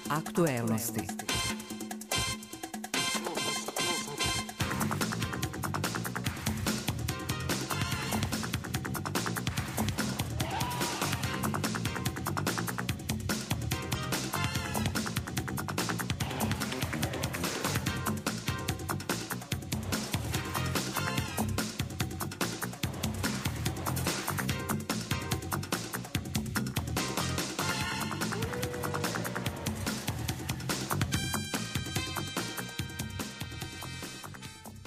Aktuelnosti.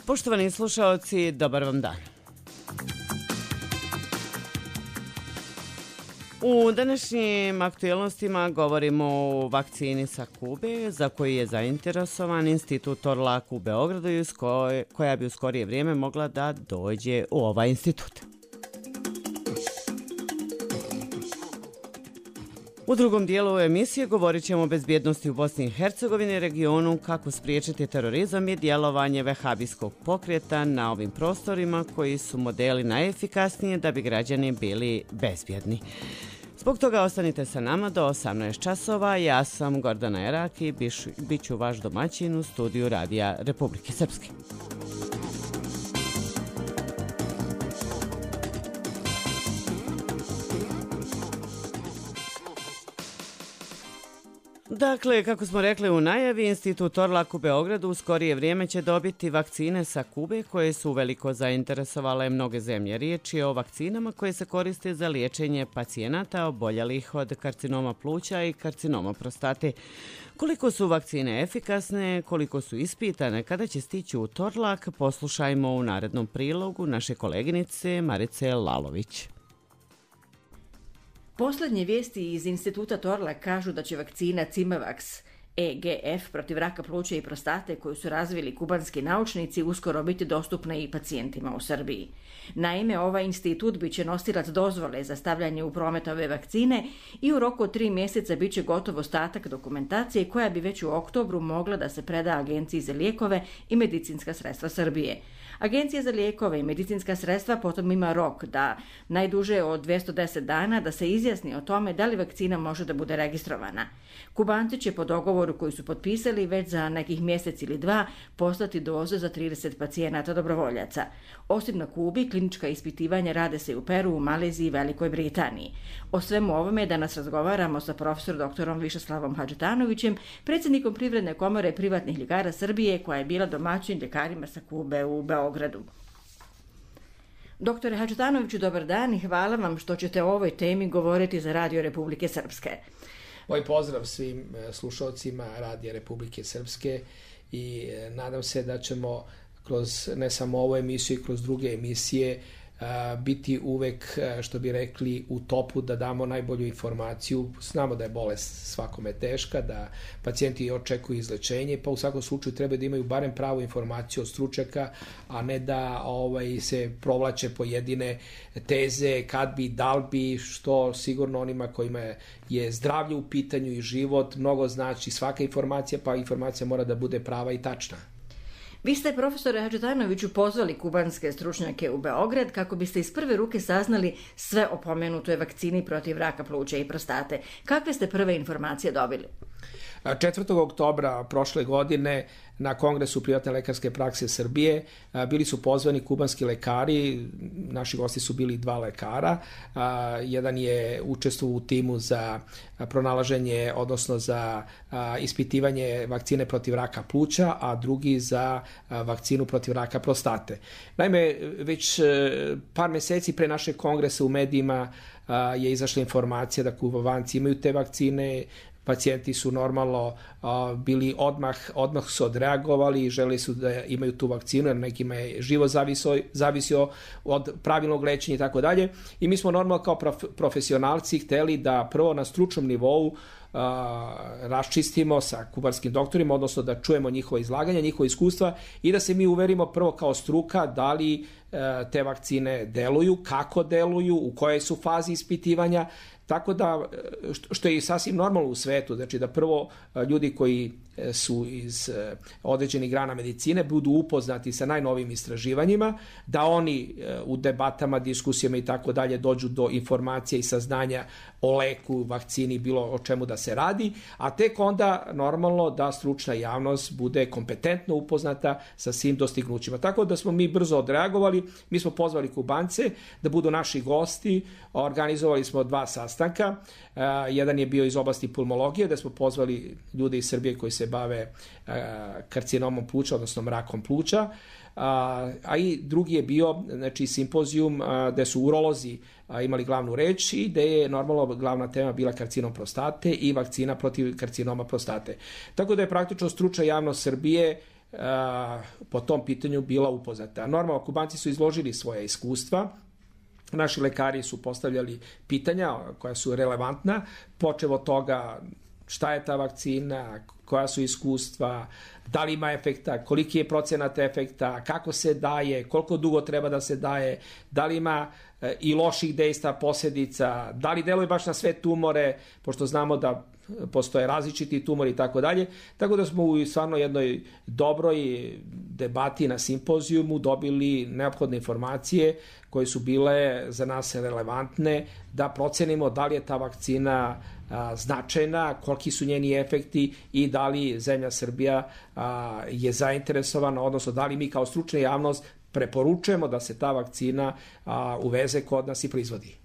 Poštovani slušaoci, dobar vam dan. U današnjim aktuelnostima govorimo o vakcini sa Kube, za koju je zainteresovan Institut Torlak u Beogradu i koja bi u skorije vrijeme mogla da dođe u ovaj institut. U drugom dijelu emisije govorit ćemo o bezbjednosti u Bosni i Hercegovini, regionu, kako spriječiti terorizam i djelovanje vehabijskog pokreta na ovim prostorima koji su modeli najefikasnije da bi građani bili bezbjedni. Zbog toga ostanite sa nama do 18 časova. Ja sam Gordana Erak i bit ću vaš domaćin u studiju Radija Republike Srpske. Dakle, kako smo rekli u najavi, Institut Torlak u Beogradu u skorije vrijeme će dobiti vakcine sa Kube koje su uveliko zainteresovale mnoge zemlje. Riječ je o vakcinama koje se koriste za liječenje pacijenata oboljelih od karcinoma pluća i karcinoma prostate. Koliko su vakcine efikasne, koliko su ispitane, kada će stići u Torlak, poslušajmo u narednom prilogu naše koleginice Marice Lalović. Posljednje vijesti iz Instituta Torlak kažu da će vakcina Cimavax EGF protiv raka pluća i prostate koju su razvili kubanski naučnici uskoro biti dostupna i pacijentima u Srbiji. Naime, ovaj institut biće nosilac dozvole za stavljanje u promet ove vakcine i u roku od 3 mjeseca biće gotov ostatak dokumentacije koja bi već u oktobru mogla da se preda Agenciji za lijekove i medicinska sredstva Srbije. Agencija za lijekove i medicinska sredstva potom ima rok da najduže od 210 dana da se izjasni o tome da li vakcina može da bude registrovana. Kubanci će po dogovoru koji su potpisali već za nekih mjesec ili 2 poslati doze za 30 pacijenata dobrovoljaca. Osim na Kubi, klinička ispitivanja rade se u Peru, Maleziji i Velikoj Britaniji. O svemu ovome danas razgovaramo sa profesor doktorom Višeslavom Hadžetanovićem, predsjednikom Privredne komore privatnih ljekara Srbije, koja je bila domaćin ljekarima sa Kube u Beogradu. Doktore Hadžetanoviću, dobar dan i hvala vam što ćete o ovoj temi govoriti za Radio Republike Srpske. Moj pozdrav svim slušalcima Radija Republike Srpske i nadam se da ćemo kroz ne samo ovu emisiju i kroz druge emisije biti uvek, što bi rekli, u topu da damo najbolju informaciju. Znamo da je bolest svakome teška, da pacijenti očekuju izlečenje, pa u svakom slučaju treba da imaju barem pravu informaciju od stručnjaka, a ne da se provlače pojedine teze, kad bi, dal bi, što sigurno onima kojima je zdravlje u pitanju i život mnogo znači svaka informacija, pa informacija mora da bude prava i tačna. Vi ste, profesore Hadžetanoviću, pozvali kubanske stručnjake u Beograd kako biste iz prve ruke saznali sve o pomenutoj vakcini protiv raka pluća i prostate. Kakve ste prve informacije dobili? 4. oktobra prošle godine na Kongresu privatne lekarske prakse Srbije bili su pozvani kubanski lekari, naši gosti su bili 2 lekara, jedan je učestvovao u timu za pronalaženje, odnosno za ispitivanje vakcine protiv raka pluća, a drugi za vakcinu protiv raka prostate. Naime, već par mjeseci pre našeg kongresa u medijima je izašla informacija da Kubanci imaju te vakcine. Pacijenti su normalno bili odmah su odreagovali i želi su da imaju tu vakcinu, jer nekima je život zavisio od pravilnog lečenja i tako dalje. I mi smo normalno kao profesionalci hteli da prvo na stručnom nivou raščistimo sa kubanskim doktorima, odnosno da čujemo njihova izlaganja, njihova iskustva i da se mi uverimo prvo kao struka da li te vakcine deluju, kako deluju, u kojoj su fazi ispitivanja. Tako da, što je sasvim normalno u svetu, znači da prvo ljudi koji su iz određenih grana medicine budu upoznati sa najnovijim istraživanjima, da oni u debatama, diskusijama i tako dalje dođu do informacija i saznanja o leku, vakcini, bilo o čemu da se radi, a tek onda normalno da stručna javnost bude kompetentno upoznata sa svim dostignućima. Tako da smo mi brzo odreagovali, mi smo pozvali Kubance da budu naši gosti, organizovali smo 2 sastanka, jedan je bio iz oblasti pulmologije, da smo pozvali ljude iz Srbije koji se bave karcinomom pluća, odnosno mrakom pluća, a i drugi je bio simpozijum gde su urolozi imali glavnu reč i gde je normalno glavna tema bila karcinom prostate i vakcina protiv karcinoma prostate. Tako da je praktično stručna javnost Srbije po tom pitanju bila upoznata. Normalno, Kubanci su izložili svoje iskustva, naši lekari su postavljali pitanja koja su relevantna, počev od toga šta je ta vakcina, koja su iskustva, da li ima efekta, koliki je procenat efekta, kako se daje, koliko dugo treba da se daje, da li ima i loših dejstva, posljedica, da li deluje baš na sve tumore, pošto znamo da postoje različiti tumori i tako dalje. Tako da smo u stvarno jednoj dobroj debati na simpozijumu dobili neophodne informacije koje su bile za nas relevantne da procenimo da li je ta vakcina značajna, koliki su njeni efekti i da li zemlja Srbija je zainteresovana, odnosno da li mi kao stručna javnost preporučujemo da se ta vakcina uveze kod nas i proizvodi.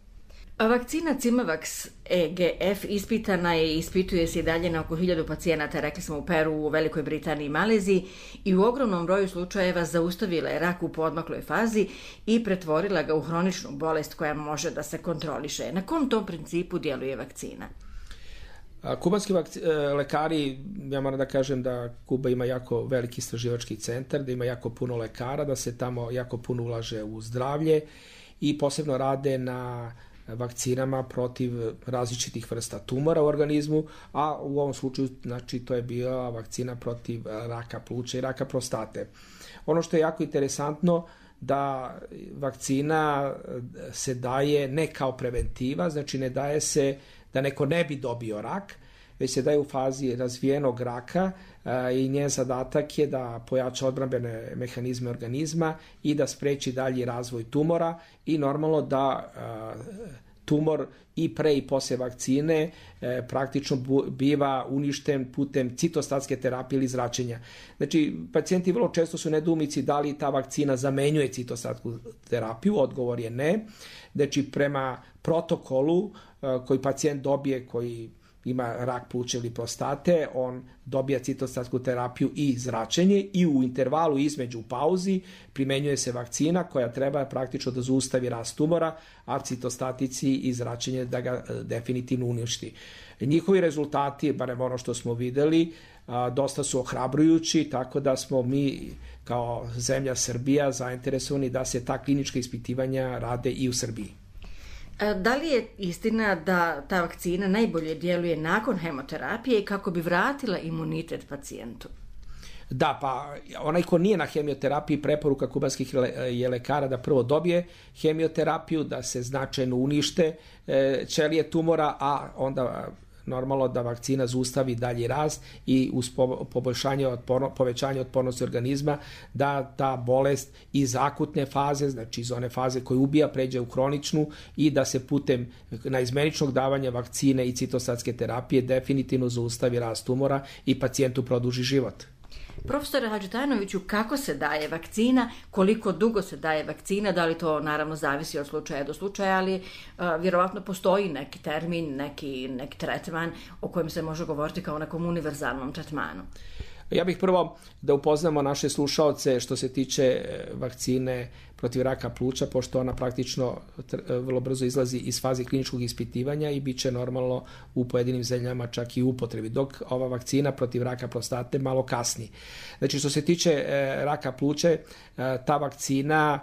Vakcina Cimavax EGF ispitana je i ispituje se i dalje na oko 1000 pacijenata, rekli smo u Peru, u Velikoj Britaniji i Maleziji, i u ogromnom broju slučajeva zaustavila je rak u poodmakloj fazi i pretvorila ga u hroničnu bolest koja može da se kontroliše. Na kom tom principu djeluje vakcina? Kubanski lekari, ja moram da kažem da Kuba ima jako veliki istraživački centar, da ima jako puno lekara, da se tamo jako puno ulaže u zdravlje i posebno rade na vakcinama protiv različitih vrsta tumora u organizmu, a u ovom slučaju to je bila vakcina protiv raka pluća i raka prostate. Ono što je jako interesantno da vakcina se daje ne kao preventiva, znači ne daje se da neko ne bi dobio rak, već se daje u fazi razvijenog raka i njen zadatak je da pojača odbrambene mehanizme organizma i da spreči dalji razvoj tumora i normalno da tumor i pre i posle vakcine praktično biva uništen putem citostatske terapije ili zračenja. Znači, pacijenti vrlo često su nedoumici da li ta vakcina zamenjuje citostatsku terapiju, odgovor je ne. Znači, prema protokolu koji pacijent dobije, koji ima rak pluća ili prostate, on dobija citostatsku terapiju i zračenje i u intervalu između pauzi primenjuje se vakcina koja treba praktično da zaustavi rast tumora, a citostatici i zračenje da ga definitivno uništi. Njihovi rezultati, barem ono što smo videli, dosta su ohrabrujući, tako da smo mi kao zemlja Srbija zainteresovani da se ta klinička ispitivanja rade i u Srbiji. Da li je istina da ta vakcina najbolje djeluje nakon hemoterapije i kako bi vratila imunitet pacijentu? Da, pa onaj ko nije na hemioterapiji, preporuka kubanskih je lekara da prvo dobije hemioterapiju, da se značajno unište ćelije tumora, a onda normalno da vakcina zaustavi dalji rast i uz povećanje otpornosti organizma da ta bolest iz akutne faze, znači iz one faze koja ubija, pređe u hroničnu i da se putem naizmeničnog davanja vakcine i citostatske terapije definitivno zaustavi rast tumora i pacijentu produži život. Profesore Hadžitajnoviću, kako se daje vakcina, koliko dugo se daje vakcina, da li to naravno zavisi od slučaja do slučaja, ali vjerovatno postoji neki termin, neki tretman o kojem se može govoriti kao o nekom univerzalnom tretmanu? Ja bih prvo da upoznamo naše slušaoce što se tiče vakcine protiv raka pluća, pošto ona praktično vrlo brzo izlazi iz faze kliničkog ispitivanja i bit će normalno u pojedinim zemljama čak i u upotrebi, dok ova vakcina protiv raka prostate malo kasni. Znači, što se tiče raka pluća, ta vakcina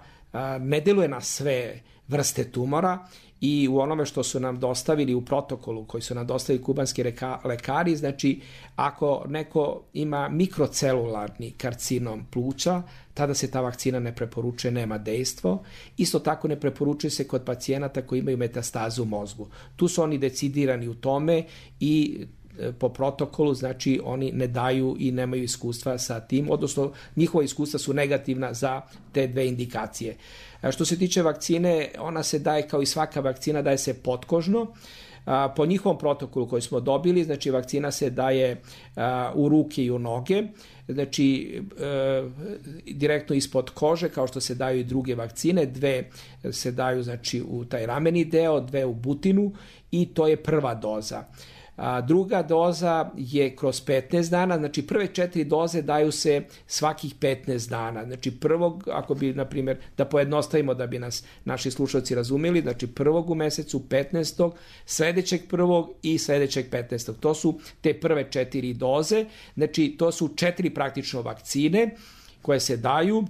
ne djeluje na sve vrste tumora i u onome što su nam dostavili u protokolu koji su nam dostavili kubanski lekari, znači ako neko ima mikrocelularni karcinom pluća, tada se ta vakcina ne preporučuje, nema dejstvo. Isto tako ne preporučuje se kod pacijenata koji imaju metastazu u mozgu. Tu su oni decidirani u tome i po protokolu, znači oni ne daju i nemaju iskustva sa tim, odnosno njihova iskustva su negativna za te dve indikacije. Što se tiče vakcine, ona se daje kao i svaka vakcina, daje se potkožno. Po njihovom protokolu koji smo dobili, znači vakcina se daje u ruke i u noge, znači direktno ispod kože, kao što se daju i druge vakcine, 2 se daju znači u taj rameni deo, 2 u butinu i to je prva doza. Druga doza je kroz 15 dana, znači prve 4 doze daju se svakih 15 dana. Znači prvog, ako bi, na primjer, da pojednostavimo da bi nas naši slušalci razumeli, znači prvog u mesecu, 15. sledećeg prvog i sledećeg 15. To su te prve 4 doze, znači to su 4 praktično vakcine koje se daju.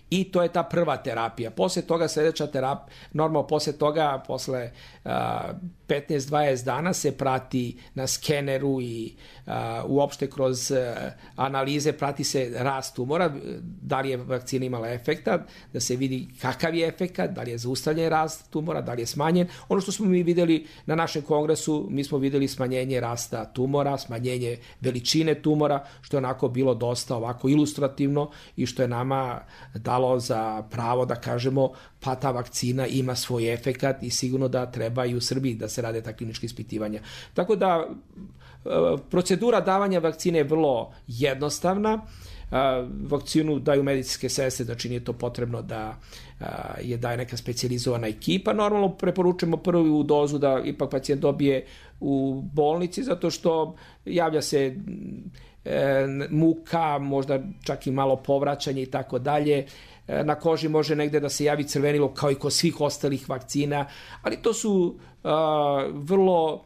I to je ta prva terapija. Posle toga sledeća terapija, normalno posle toga, posle 15-20 dana se prati na skeneru i uopšte kroz analize prati se rast tumora, da li je vakcina imala efekta, da se vidi kakav je efekat, da li je zaustavljen rast tumora, da li je smanjen. Ono što smo mi videli na našem kongresu, mi smo videli smanjenje rasta tumora, smanjenje veličine tumora, što je onako bilo dosta ovako ilustrativno i što je nama dalo za pravo da kažemo pa ta vakcina ima svoj efekat i sigurno da treba i u Srbiji da se rade ta klinička ispitivanja. Tako da procedura davanja vakcine je vrlo jednostavna. Vakcinu daju medicinske sestre, znači nije to potrebno da je daje neka specijalizovana ekipa. Normalno preporučujemo prvu dozu da ipak pacijent dobije u bolnici, zato što javlja se muka, možda čak i malo povraćanje i tako dalje. Na koži može negde da se javi crvenilo kao i kod svih ostalih vakcina, ali to su vrlo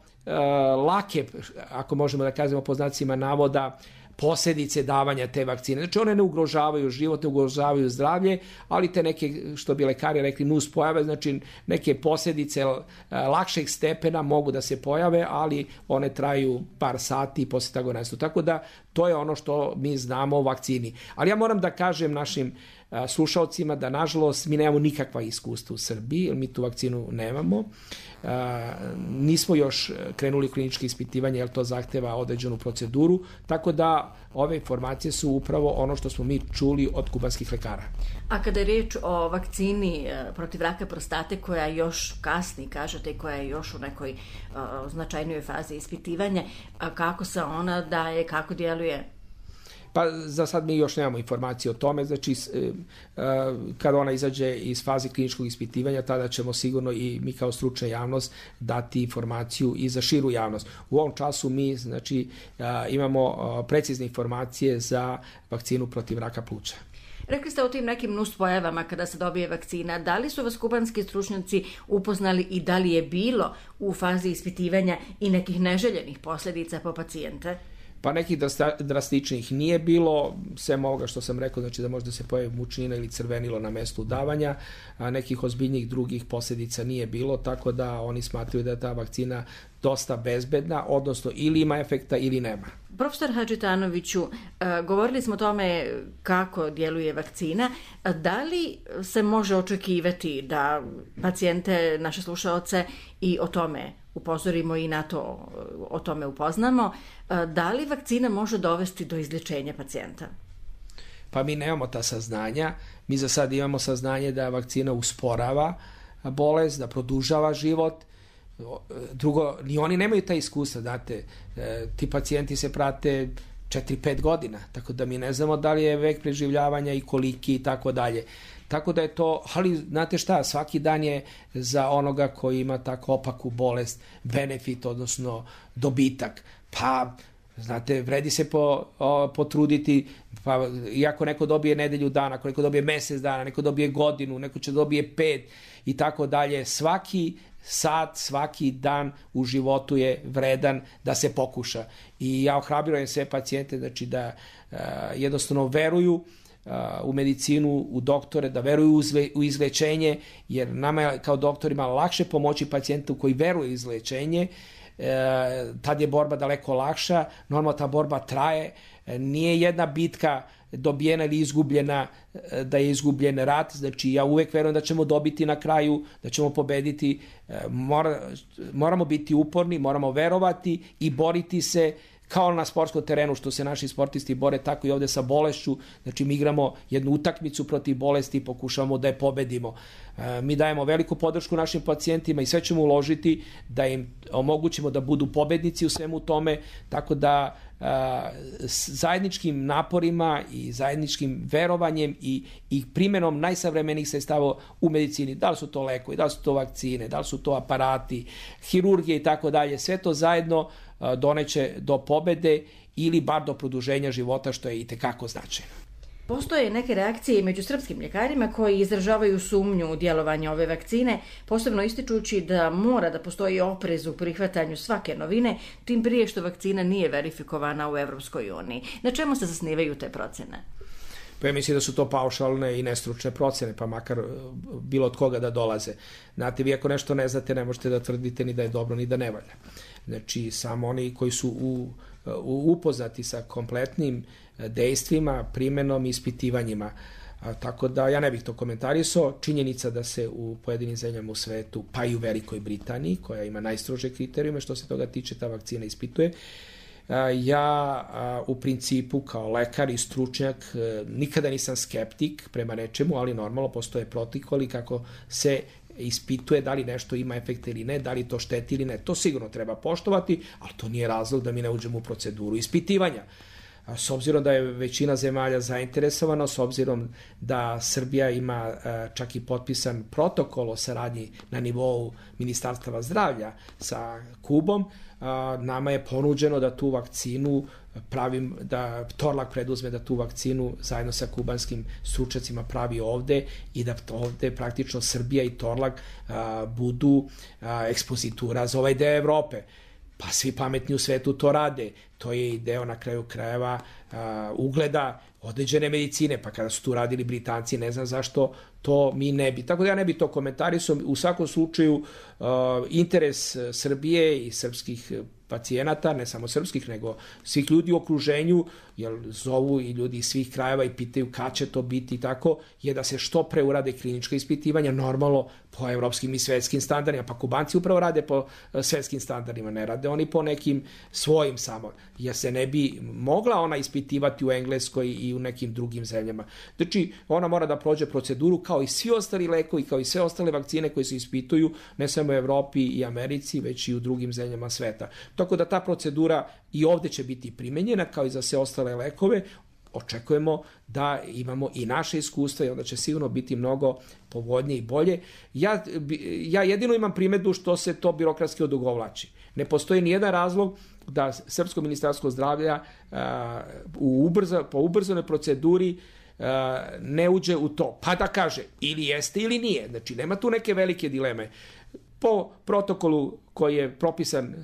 lake, ako možemo da kažemo po znacima navoda, posljedice davanja te vakcine. Znači one ne ugrožavaju život, ne ugrožavaju zdravlje, ali te neke, što bi lekari rekli, nuspojave, znači neke posljedice lakšeg stepena mogu da se pojave, ali one traju par sati i posle toga nestaju. Tako da to je ono što mi znamo o vakcini. Ali ja moram da kažem našim slušalcima da nažalost mi nemamo nikakva iskustva u Srbiji, jer mi tu vakcinu nemamo. Nismo još krenuli kliničke ispitivanje, jer to zahteva određenu proceduru, tako da ove informacije su upravo ono što smo mi čuli od kubanskih lekara. A kada je riječ o vakcini protiv raka prostate koja još kasni, kažete, koja je još u nekoj značajnijoj fazi ispitivanja, kako se ona daje, kako djeluje? Pa za sad mi još nemamo informacije o tome, znači kada ona izađe iz faze kliničkog ispitivanja, tada ćemo sigurno i mi kao stručna javnost dati informaciju i za širu javnost. U ovom času mi znači imamo precizne informacije za vakcinu protiv raka pluća. Rekli ste o tim nekim nuspojavama kada se dobije vakcina. Da li su vas kubanski stručnjaci upoznali i da li je bilo u fazi ispitivanja i nekih neželjenih posljedica po pacijente? Pa nekih drastičnih nije bilo, sem ovoga što sam rekao, znači da možda se pojavi mučnina ili crvenilo na mestu udavanja, a nekih ozbiljnijih drugih posljedica nije bilo, tako da oni smatraju da je ta vakcina dosta bezbedna, odnosno ili ima efekta ili nema. Profesor Hadžitanoviću, govorili smo o tome kako djeluje vakcina. Da li se može očekivati da pacijente, naše slušaoce, i o tome upozorimo i na to o tome upoznamo, da li vakcina može dovesti do izlječenja pacijenta? Pa mi nemamo ta saznanja. Mi za sad imamo saznanje da vakcina usporava bolest, da produžava život. Drugo, ni oni nemaju ta iskustva, znate, ti pacijenti se prate 4-5 godina, tako da mi ne znamo da li je vek preživljavanja i koliki i tako dalje. Tako da je to, ali znate šta, svaki dan je za onoga koji ima tako opaku bolest benefit, odnosno dobitak. Pa, znate, vredi se potruditi, pa iako neko dobije nedelju dana, ako neko dobije mesec dana, neko dobije godinu, neko će dobije 5 i tako dalje, svaki sat, svaki dan u životu je vredan da se pokuša. I ja ohrabrujem sve pacijente, znači da jednostavno veruju u medicinu, u doktore, da veruju u izlečenje, jer nama je kao doktorima lakše pomoći pacijentu koji veruje u izlečenje, tad je borba daleko lakša, normalno ta borba traje, nije jedna bitka dobijena ili izgubljena, da je izgubljen rat, znači ja uvek verujem da ćemo dobiti na kraju, da ćemo pobediti, moramo biti uporni, moramo verovati i boriti se kao na sportskom terenu što se naši sportisti bore, tako i ovde sa bolešću. Znači mi igramo jednu utakmicu protiv bolesti i pokušavamo da je pobedimo. Mi dajemo veliku podršku našim pacijentima i sve ćemo uložiti da im omogućimo da budu pobednici u svemu tome, tako da zajedničkim naporima i zajedničkim verovanjem i primenom najsavremenijih sredstava u medicini, da li su to lekovi, da li su to vakcine, da li su to aparati, hirurgije i tako dalje, sve to zajedno doneće do pobede ili bar do produženja života, što je itekako značajno. Postoje neke reakcije među srpskim ljekarima koji izražavaju sumnju u djelovanje ove vakcine, posebno ističući da mora da postoji oprez u prihvatanju svake novine, tim prije što vakcina nije verifikovana u Evropskoj uniji. Na čemu se zasnivaju te procene? Pa ja mislim da su to paušalne i nestručne procene, pa makar bilo od koga da dolaze. Znate, vi ako nešto ne znate, ne možete da tvrdite ni da je dobro, ni da ne valja. Znači, samo oni koji su upoznati sa kompletnim dejstvima, primenom i ispitivanjima. Tako da ja ne bih to komentarisao. Činjenica da se u pojedinim zemljama u svetu, pa i u Velikoj Britaniji, koja ima najstrože kriterijume što se toga tiče, ta vakcina ispituje. Ja u principu kao lekar i stručnjak nikada nisam skeptik prema nečemu, ali normalno postoje protokoli kako se ispituje da li nešto ima efekta ili ne, da li to šteti ili ne. To sigurno treba poštovati, ali to nije razlog da mi ne uđemo u proceduru ispitivanja. S obzirom da je većina zemalja zainteresovana, s obzirom da Srbija ima čak i potpisan protokol o saradnji na nivou Ministarstva zdravlja sa Kubom, nama je ponuđeno da tu vakcinu da Torlak preduzme da tu vakcinu zajedno sa kubanskim stručnjacima pravi ovde i da ovde praktično Srbija i Torlak budu ekspozitura za ovaj deo Evrope. Pa svi pametni u svetu to rade. To je i deo na kraju krajeva ugleda određene medicine, pa kada su tu radili Britanci, ne znam zašto to mi ne bi. Tako da ja ne bi to komentarisao. U svakom slučaju interes Srbije i srpskih pacijenata, ne samo srpskih, nego svih ljudi u okruženju, jer zovu i ljudi iz svih krajeva i pitaju kad će to biti i tako, je da se što pre urade klinička ispitivanja, normalno po evropskim i svetskim standardima. Pa Kubanci upravo rade po svetskim standardima, ne rade oni po nekim svojim samo, jer se ne bi mogla ona ispitivati u Engleskoj i u nekim drugim zemljama. Znači, ona mora da prođe proceduru kao i svi ostali lekovi, kao i sve ostale vakcine koje se ispituju, ne samo u Evropi i Americi, već i u drugim zemljama sveta. Tako da ta procedura i ovde će biti primenjena, kao i za sve ostale lekove. Očekujemo da imamo i naše iskustva i onda će sigurno biti mnogo povoljnije i bolje. Ja jedino imam primedbu što se to birokratski odugovlači. Ne postoji nijedan razlog da Srpsko ministarstvo zdravlja po ubrzanoj proceduri ne uđe u to, pa da kaže ili jeste ili nije. Znači, nema tu neke velike dileme. Po protokolu koji je propisan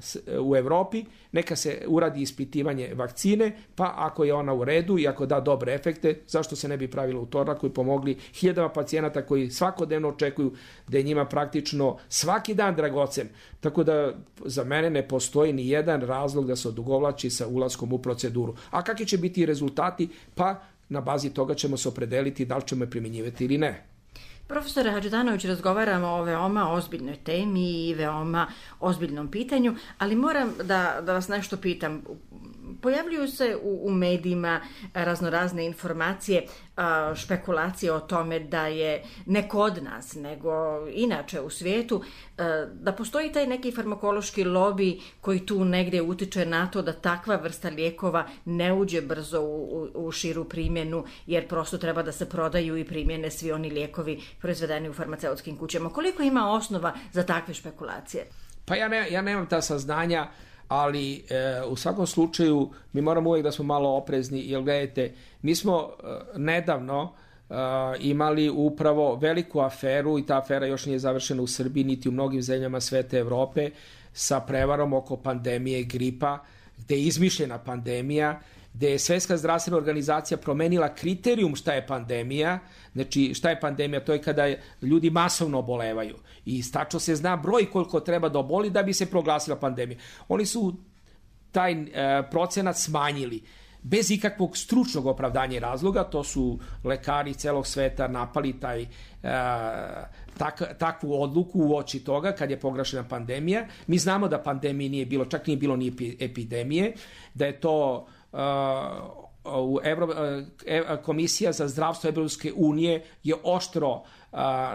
u Evropi, neka se uradi ispitivanje vakcine, pa ako je ona u redu i ako da dobre efekte, zašto se ne bi pravilo u Torlaku i pomogli hiljadama pacijenata koji svakodnevno očekuju da je njima praktično svaki dan dragocen. Tako da za mene ne postoji ni jedan razlog da se odugovlači sa ulaskom u proceduru. A kakvi će biti rezultati? Pa na bazi toga ćemo se opredeliti da li ćemo je primjenjivati ili ne. Profesore Hadžidanović, razgovaramo o veoma ozbiljnoj temi i veoma ozbiljnom pitanju, ali moram da vas nešto pitam. Pojavljuju se u medijima raznorazne informacije, špekulacije o tome da je ne kod nas, nego inače u svijetu, da postoji taj neki farmakološki lobi koji tu negdje utiče na to da takva vrsta lijekova ne uđe brzo u širu primjenu, jer prosto treba da se prodaju i primjene svi oni lijekovi proizvedeni u farmaceutskim kućama. Koliko ima osnova za takve špekulacije? Pa ja nemam ta saznanja, ali u svakom slučaju mi moramo uvijek da smo malo oprezni, jer gledajte, mi smo nedavno imali upravo veliku aferu i ta afera još nije završena u Srbiji niti u mnogim zemljama sveta Evrope sa prevarom oko pandemije gripa, gde je izmišljena pandemija, gde je Svetska zdravstvena organizacija promenila kriterijum šta je pandemija. Znači, šta je pandemija? To je kada ljudi masovno obolevaju i tačno se zna broj koliko treba da oboli da bi se proglasila pandemija. Oni su taj procenat smanjili. bez ikakvog stručnog opravdanja i razloga. To su lekari celog sveta napali takvu odluku u oči toga kad je proglašena pandemija. Mi znamo da pandemije nije bilo, čak nije bilo ni epidemije, da je to Komisija za zdravstvo Evropske unije je oštro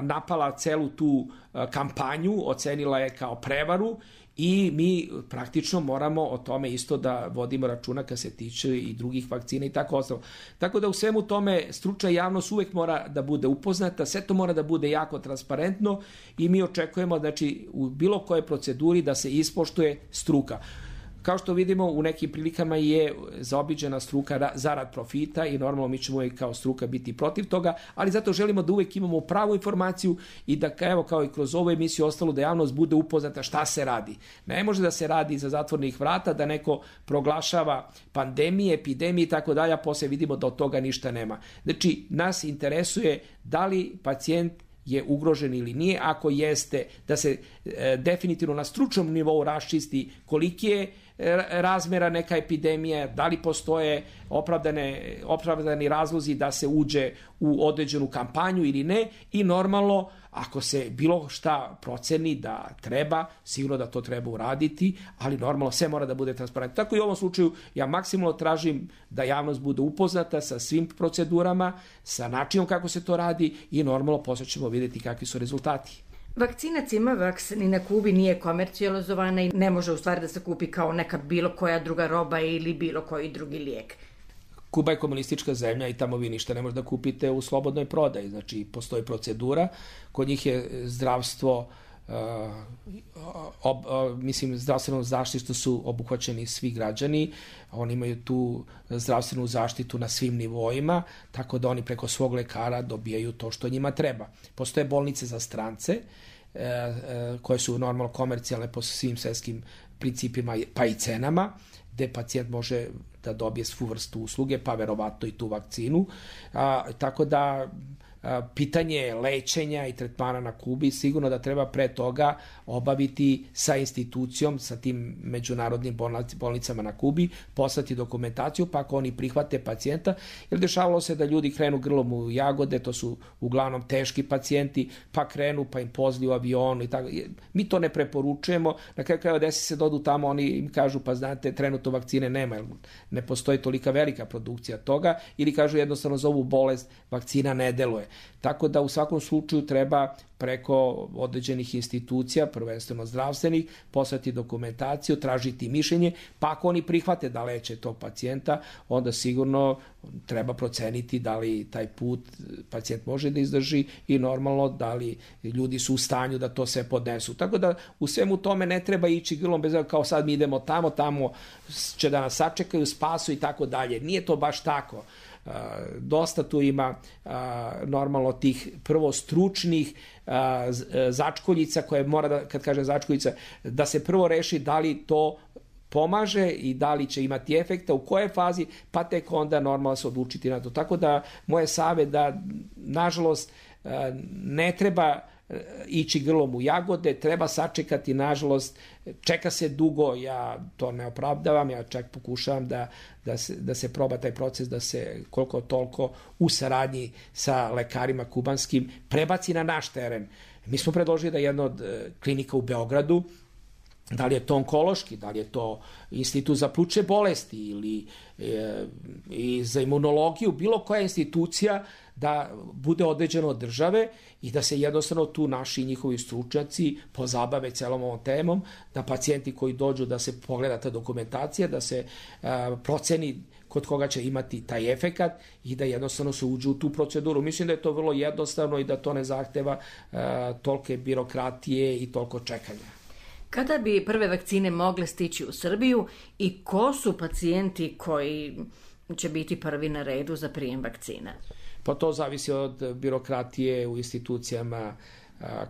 napala celu tu kampanju, ocenila je kao prevaru i mi praktično moramo o tome isto da vodimo računa kad se tiče i drugih vakcina i tako ostalo. Tako da u svemu tome stručna javnost uvek mora da bude upoznata, sve to mora da bude jako transparentno i mi očekujemo, znači, u bilo kojoj proceduri da se ispoštuje struka. Kao što vidimo, u nekim prilikama je zaobiđena struka zarad profita i normalno mi ćemo i kao struka biti protiv toga, ali zato želimo da uvek imamo pravu informaciju i da, evo, kao i kroz ovu emisiju ostalo, da javnost bude upoznata šta se radi. Ne može da se radi iza zatvornih vrata, da neko proglašava pandemije, epidemije i tako dalje, a posle vidimo da od toga ništa nema. Znači, nas interesuje da li pacijent je ugrožen ili nije, ako jeste, da se definitivno na stručnom nivou raščisti koliki je razmera neka epidemija, da li postoje opravdani razlozi da se uđe u određenu kampanju ili ne i normalno ako se bilo šta proceni da treba, sigurno da to treba uraditi, ali normalno sve mora da bude transparentno. Tako i u ovom slučaju ja maksimalno tražim da javnost bude upoznata sa svim procedurama, sa načinom kako se to radi i normalno posle ćemo vidjeti kakvi su rezultati. Vakcina Cimavax ni na Kubi nije komercijalizovana i ne može u stvari da se kupi kao neka bilo koja druga roba ili bilo koji drugi lijek. Kuba je komunistička zemlja i tamo vi ništa ne možete da kupite u slobodnoj prodaji. Znači, postoji procedura. Kod njih je zdravstvo, zdravstvenom zaštitu su obuhvaćeni svi građani. Oni imaju tu zdravstvenu zaštitu na svim nivoima, tako da oni preko svog lekara dobijaju to što njima treba. Postoje bolnice za strance, koje su normalno komercijalne po svim svetskim principima pa i cenama, gde pacijent može da dobije svu vrstu usluge, pa verovatno i tu vakcinu. Tako da pitanje lečenja i tretmana na Kubi sigurno da treba pre toga obaviti sa institucijom, sa tim međunarodnim bolnicama na Kubi, poslati dokumentaciju, pa ako oni prihvate pacijenta, jer dešavalo se da ljudi krenu grlom u jagode, to su uglavnom teški pacijenti, pa krenu, pa im pozli u avionu i tako. Mi to ne preporučujemo, na kraju krajeva desi se da odu tamo, oni im kažu, pa znate, trenutno vakcine nema, jer ne postoji tolika velika produkcija toga, ili kažu jednostavno za ovu bolest vakcina ne deluje. Tako da u svakom slučaju treba preko određenih institucija, prvenstveno zdravstvenih, poslati dokumentaciju, tražiti mišljenje, pa ako oni prihvate da leče tog pacijenta, onda sigurno treba proceniti da li taj put pacijent može da izdrži i normalno da li ljudi su u stanju da to sve podnesu. Tako da u svemu tome ne treba ići grlom bez kao sad mi idemo tamo će da nas sačekaju, spasu i tako dalje. Nije to baš tako. Dosta tu ima normalno tih prvo stručnih začkoljica koje mora da, kad kažem začkoljica, da se prvo reši da li to pomaže i da li će imati efekta, u kojoj fazi, pa tek onda normalno se odlučiti na to. Tako da moje savjet da nažalost ne treba ići grlom u jagode, treba sačekati, nažalost, čeka se dugo, ja to ne opravdavam, ja čak pokušavam da se proba taj proces, da se koliko toliko u saradnji sa lekarima kubanskim prebaci na naš teren. Mi smo predložili da jedna od klinika u Beogradu, da li je to onkološki, da li je to institut za plućne bolesti ili i za imunologiju, bilo koja institucija da bude određeno od države i da se jednostavno tu naši i njihovi stručnjaci pozabave celom ovom temom, da pacijenti koji dođu da se pogleda ta dokumentacija, da se proceni kod koga će imati taj efekat i da jednostavno se uđe u tu proceduru. Mislim da je to vrlo jednostavno i da to ne zahteva tolike birokratije i toliko čekanja. Kada bi prve vakcine mogle stići u Srbiju i ko su pacijenti koji će biti prvi na redu za prijem vakcina? Pa to zavisi od birokratije u institucijama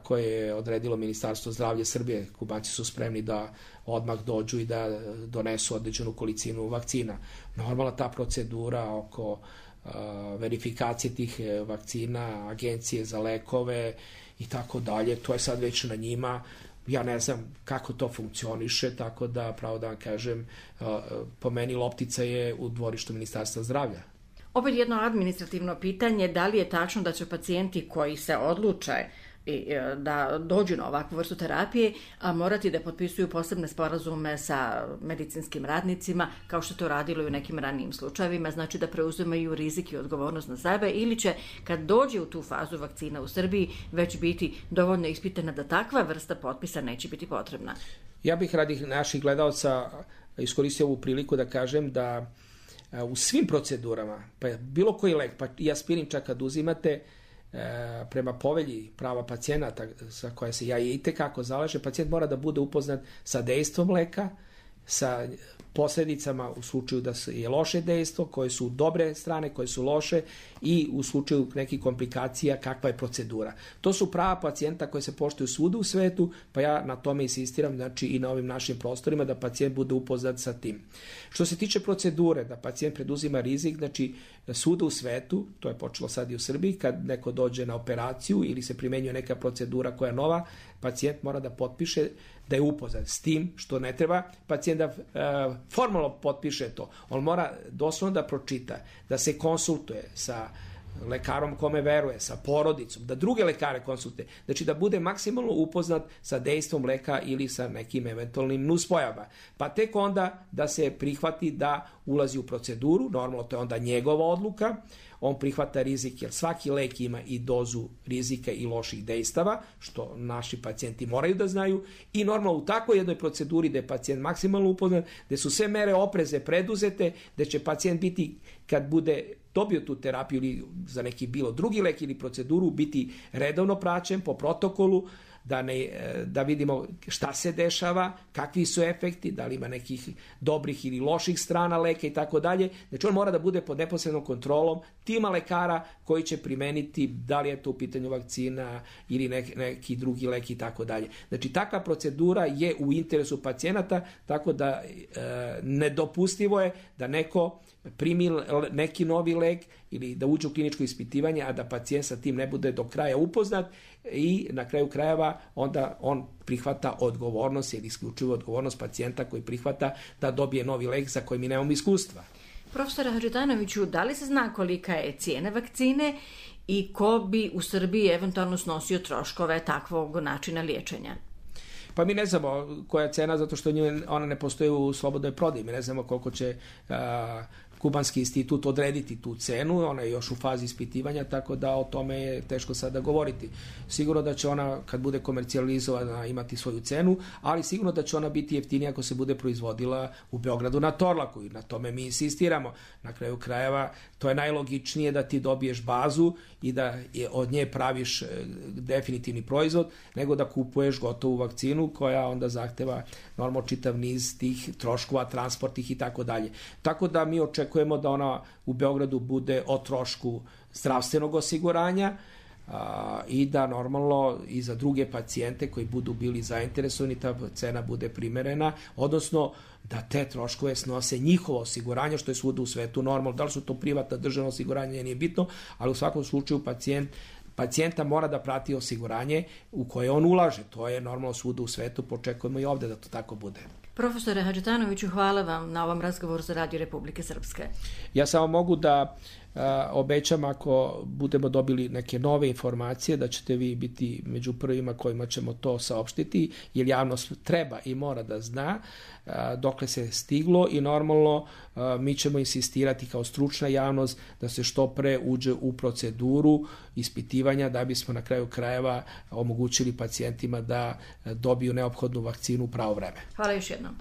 koje je odredilo Ministarstvo zdravlja Srbije. Kubanci su spremni da odmah dođu i da donesu određenu količinu vakcina. Normalna ta procedura oko verifikacije tih vakcina, agencije za lekove i tako dalje, to je sad već na njima. ja ne znam kako to funkcioniše, tako da, pravo da vam kažem, po meni loptica je u dvorištu Ministarstva zdravlja. Opet jedno administrativno pitanje, da li je tačno da će pacijenti koji se odluče da dođu na ovakvu vrstu terapije, a morati da potpisuju posebne sporazume sa medicinskim radnicima, kao što to radilo i u nekim ranijim slučajevima, znači da preuzimaju rizik i odgovornost na sebe, ili će kad dođe u tu fazu vakcina u Srbiji već biti dovoljno ispitana da takva vrsta potpisa neće biti potrebna? Ja bih radi naših gledalca iskoristio ovu priliku da kažem da u svim procedurama, pa bilo koji lek, pa i aspirin čak kad uzimate, prema povelji prava pacijenata za koje se ja itekako zalažem, pacijent mora da bude upoznat sa dejstvom leka, sa posljedicama u slučaju da je loše dejstvo, koje su dobre strane, koje su loše i u slučaju nekih komplikacija kakva je procedura. To su prava pacijenta koje se poštuju svuda u svetu, pa ja na tome insistiram, znači i na ovim našim prostorima, da pacijent bude upoznat sa tim. Što se tiče procedure, da pacijent preduzima rizik, znači svuda u svetu, to je počelo sad i u Srbiji, kad neko dođe na operaciju ili se primenjuje neka procedura koja je nova, pacijent mora da potpiše da je upoznat s tim, što ne treba pacijent da formalno potpiše to. On mora doslovno da pročita, da se konsultuje sa lekarom kome veruje, sa porodicom, da druge lekare konsultuje, znači da bude maksimalno upoznat sa dejstvom leka ili sa nekim eventualnim nuspojavama. Pa tek onda da se prihvati da ulazi u proceduru, normalno to je onda njegova odluka, on prihvata rizik jer svaki lek ima i dozu rizika i loših dejstava, što naši pacijenti moraju da znaju, i normalno u takvoj jednoj proceduri gde je pacijent maksimalno upoznat, gde su sve mere opreze preduzete, gde će pacijent biti, kad bude dobio tu terapiju ili za neki bilo drugi lek ili proceduru, biti redovno praćen po protokolu, da vidimo šta se dešava, kakvi su efekti, da li ima nekih dobrih ili loših strana leka i tako dalje. Znači on mora da bude pod neposrednom kontrolom tima lekara koji će primeniti, da li je to u pitanju vakcina ili neki drugi lek i tako dalje. Znači takva procedura je u interesu pacijenata, tako da nedopustivo je da neko primi neki novi lek ili da uđe u kliničko ispitivanje, a da pacijent sa tim ne bude do kraja upoznat i na kraju krajeva onda on prihvata odgovornost ili isključivo odgovornost pacijenta koji prihvata da dobije novi lek za koji mi nemamo iskustva. Profesore Hadžitanoviću, da li se zna kolika je cijena vakcine i ko bi u Srbiji eventualno snosio troškove takvog načina liječenja? Pa mi ne znamo koja je cena, zato što ona ne postoji u slobodnoj prodaji. Mi ne znamo koliko će Kubanski institut odrediti tu cenu, ona je još u fazi ispitivanja, tako da o tome je teško sada govoriti. Sigurno da će ona, kad bude komercijalizovana, imati svoju cenu, ali sigurno da će ona biti jeftinija ako se bude proizvodila u Beogradu na Torlaku i na tome mi insistiramo. Na kraju krajeva, to je najlogičnije da ti dobiješ bazu i da od nje praviš definitivni proizvod, nego da kupuješ gotovu vakcinu koja onda zahteva normalno čitav niz tih troškova, transportih i tako dalje. Tako da mi očekujemo da ona u Beogradu bude o trošku zdravstvenog osiguranja i da normalno i za druge pacijente koji budu bili zainteresovani ta cena bude primerena, odnosno da te troškove snose njihovo osiguranje, što je svuda u svetu normalno. Da li su to privatna državna osiguranja, nije bitno, ali u svakom slučaju pacijenta mora da prati osiguranje u koje on ulaže. To je normalno svuda u svetu, počekujemo i ovde da to tako bude. Profesore Hadžitanoviću, hvala vam na ovom razgovoru za Radio Republike Srpske. Ja samo mogu da obećam, ako budemo dobili neke nove informacije, da ćete vi biti među prvima kojima ćemo to saopštiti, jer javnost treba i mora da zna dokle se stiglo i normalno mi ćemo insistirati kao stručna javnost da se što pre uđe u proceduru ispitivanja da bismo na kraju krajeva omogućili pacijentima da dobiju neophodnu vakcinu u pravo vreme. Hvala još jednom.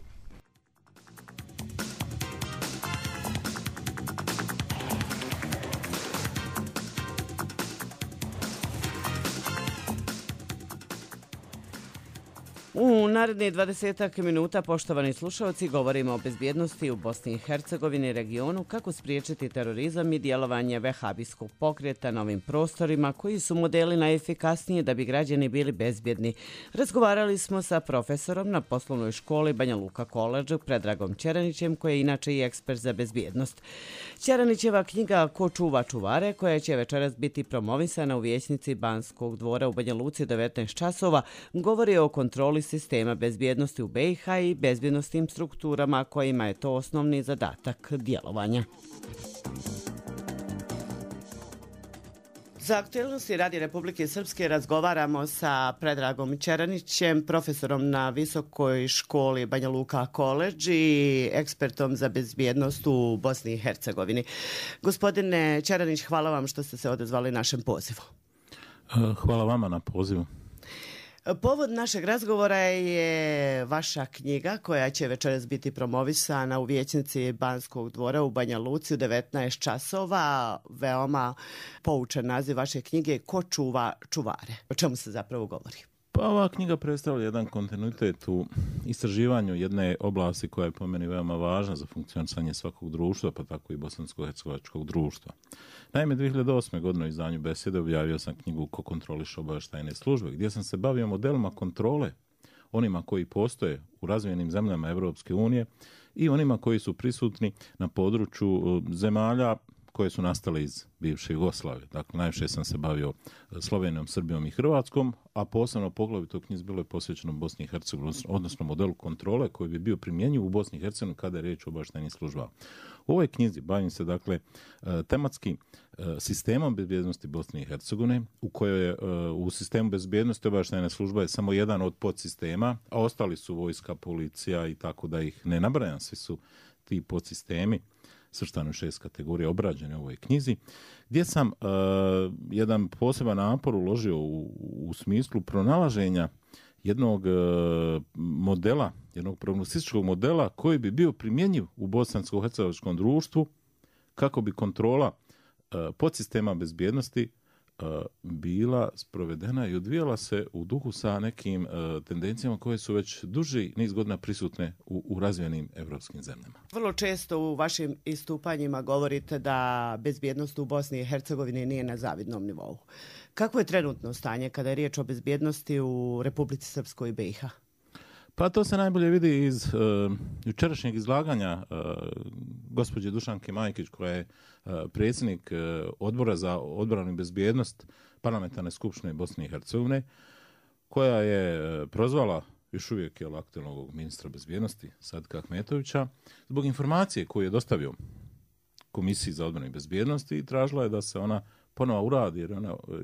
U narednih 20 minuta, poštovani slušalci, govorimo o bezbjednosti u Bosni i Hercegovini, regionu, kako spriječiti terorizam i djelovanje vehabijskog pokreta na ovim prostorima, koji su modeli najefikasnije da bi građani bili bezbjedni. Razgovarali smo sa profesorom na poslovnoj školi Banja Luka College, Predragom Ćeranićem, koji je inače i ekspert za bezbjednost. Ćeranićeva knjiga Ko čuva čuvare, koja će večeras biti promovisana u vijećnici Banskog dvora u Banja Luci 19 časova, govori o kontroli kontroli sistema bezbjednosti u BiH i bezbjednostnim strukturama kojima je to osnovni zadatak djelovanja. Za aktualnosti Radi Republike Srpske razgovaramo sa Predragom Čeranićem, profesorom na Visokoj školi Banja Luka College i ekspertom za bezbjednost u Bosni i Hercegovini. Gospodine Čeranić, hvala vam što ste se odazvali našem pozivu. Hvala vama na pozivu. Povod našeg razgovora je vaša knjiga koja će večeras biti promovisana u vijećnici Banskog dvora u Banja Luci u 19 časova. Veoma poučan naziv vaše knjige Ko čuva čuvare. O čemu se zapravo govori? Pa ova knjiga predstavlja jedan kontinuitet u istraživanju jedne oblasti koja je po meni veoma važna za funkcionisanje svakog društva, pa tako i bosansko-hercegovačkog društva. Naime, 2008. godine u izdanju Besede objavio sam knjigu Ko kontroliše obavještajne službe, gdje sam se bavio modelima kontrole, onima koji postoje u razvijenim zemljama Europske unije i onima koji su prisutni na području zemalja koje su nastale iz bivše Jugoslavije. Dakle, najviše sam se bavio Slovenijom, Srbijom i Hrvatskom, a posebno poglavito u knjizi bilo je posvećeno Bosni i Hercegovini, odnosno modelu kontrole koji bi bio primjenjiv u Bosni i Hercegovini kada je riječ o obavještajnim službama. U ovoj knjizi bavim se dakle tematski sistemom bezbjednosti Bosne i Hercegovine, u kojoj je u sistemu bezbjednosti obavještajna služba je samo jedan od podsistema, a ostali su vojska, policija i tako da ih ne nabrajam, svi su ti podsistemi svrstani u 6 kategorija obrađene u ovoj knjizi, gdje sam jedan poseban napor uložio u smislu pronalaženja jednog modela, jednog prognostičkog modela koji bi bio primjenjiv u bosansko-hercegovačkom društvu kako bi kontrola podsistema bezbjednosti bila sprovedena i odvijala se u duhu sa nekim tendencijama koje su već duži niz godina prisutne u razvijenim evropskim zemljama. Vrlo često u vašim istupanjima govorite da bezbjednost u Bosni i Hercegovini nije na zavidnom nivou. Kako je trenutno stanje kada je riječ o bezbjednosti u Republici Srpskoj i BiH? Pa to se najbolje vidi iz jučerašnjeg izlaganja gospođe Dušanke Majkić, koja je predsjednik Odbora za odbranu i bezbjednost Parlamentarne skupštine Bosne i Hercegovine, koja je prozvala još uvijek aktualnog ministra bezbjednosti Sadika Ahmetovića zbog informacije koju je dostavio Komisiji za odbranu i bezbjednost i tražila je da se ona ponovo uradi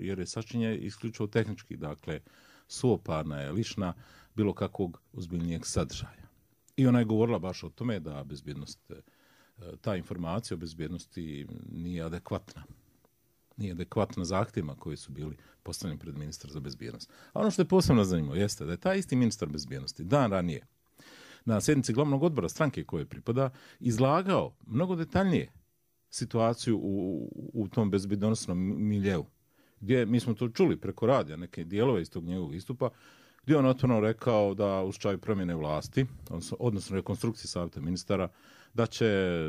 jer je sačinjena isključivo tehnički, dakle suoparna je, lišna bilo kakvog ozbiljnijeg sadržaja. I ona je govorila baš o tome da bezbjednost, ta informacija o bezbjednosti nije adekvatna. Nije adekvatna zahtjevima koji su bili postavljeni pred ministra za bezbjednost. A ono što je posebno zanimljivo jeste da je taj isti ministar bezbjednosti dan ranije na sjednici glavnog odbora stranke koje pripada izlagao mnogo detaljnije situaciju u tom bezbjednosnom miljeu. Gdje mi smo to čuli preko radija, neke dijelove iz tog njegovog istupa, gdje on otvoreno rekao da u slučaju promjene vlasti, odnosno rekonstrukcije savjeta ministara, da će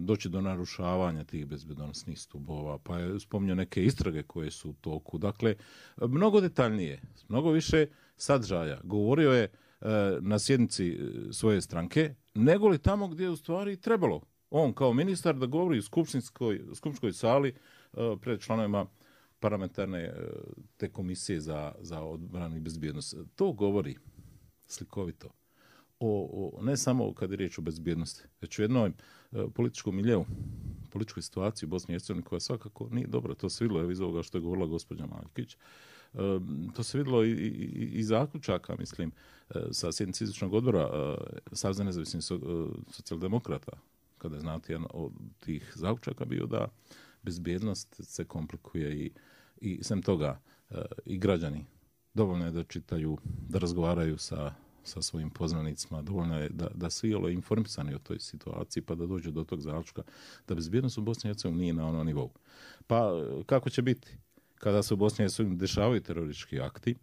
doći do narušavanja tih bezbjednosnih stubova, pa je spominjao neke istrage koje su u toku. Dakle, mnogo detaljnije, mnogo više sadržaja govorio je na sjednici svoje stranke, nego li tamo gdje je u stvari trebalo on kao ministar da govori u skupštinskoj sali pred članovima parlamentarne te komisije za odbranu i bezbjednost. To govori slikovito ne samo kad je riječ o bezbjednosti, već u jednom političkom miljeu, političkoj situaciji u Bosni i Hercegovini koja svakako nije dobra. To se vidjelo iz ovoga što je govorila gospođa Majkić. To se vidjelo i zaključaka, mislim, sa sjednice izvršnog odbora Saveza nezavisnih socijaldemokrata, kada je znati jedan od tih zaključaka bio da bezbjednost se komplikuje i sem toga i građani dovoljno je da čitaju, da razgovaraju sa svojim poznanicima, dovoljno je da svi informisani o toj situaciji pa da dođu do tog zaključka da bezbjednost u Bosni i Hercegovini nije na onom nivou. Pa kako će biti kada se u Bosni i Hercegovini dešavaju teroristički akti,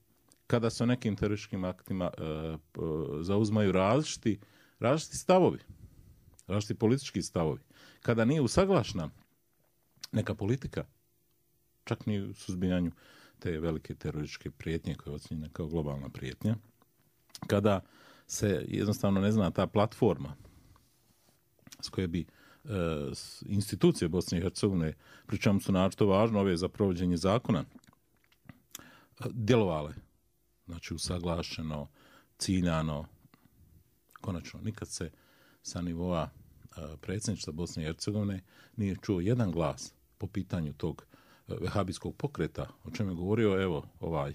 kada se o nekim terorističkim aktima zauzmaju različiti stavovi, različiti politički stavovi, kada nije usaglašena neka politika, čak ni u suzbijanju te velike terorističke prijetnje koje je ocjenjena kao globalna prijetnja, kada se jednostavno ne zna ta platforma s koje bi institucije Bosne i Hercegovine, pri čemu su naročito važno ove za provođenje zakona, djelovale, znači usaglašeno, ciljano, konačno nikad se sa nivoa predsjedništva Bosne i Hercegovine nije čuo jedan glas po pitanju tog vehabijskog pokreta, o čemu je govorio evo ovaj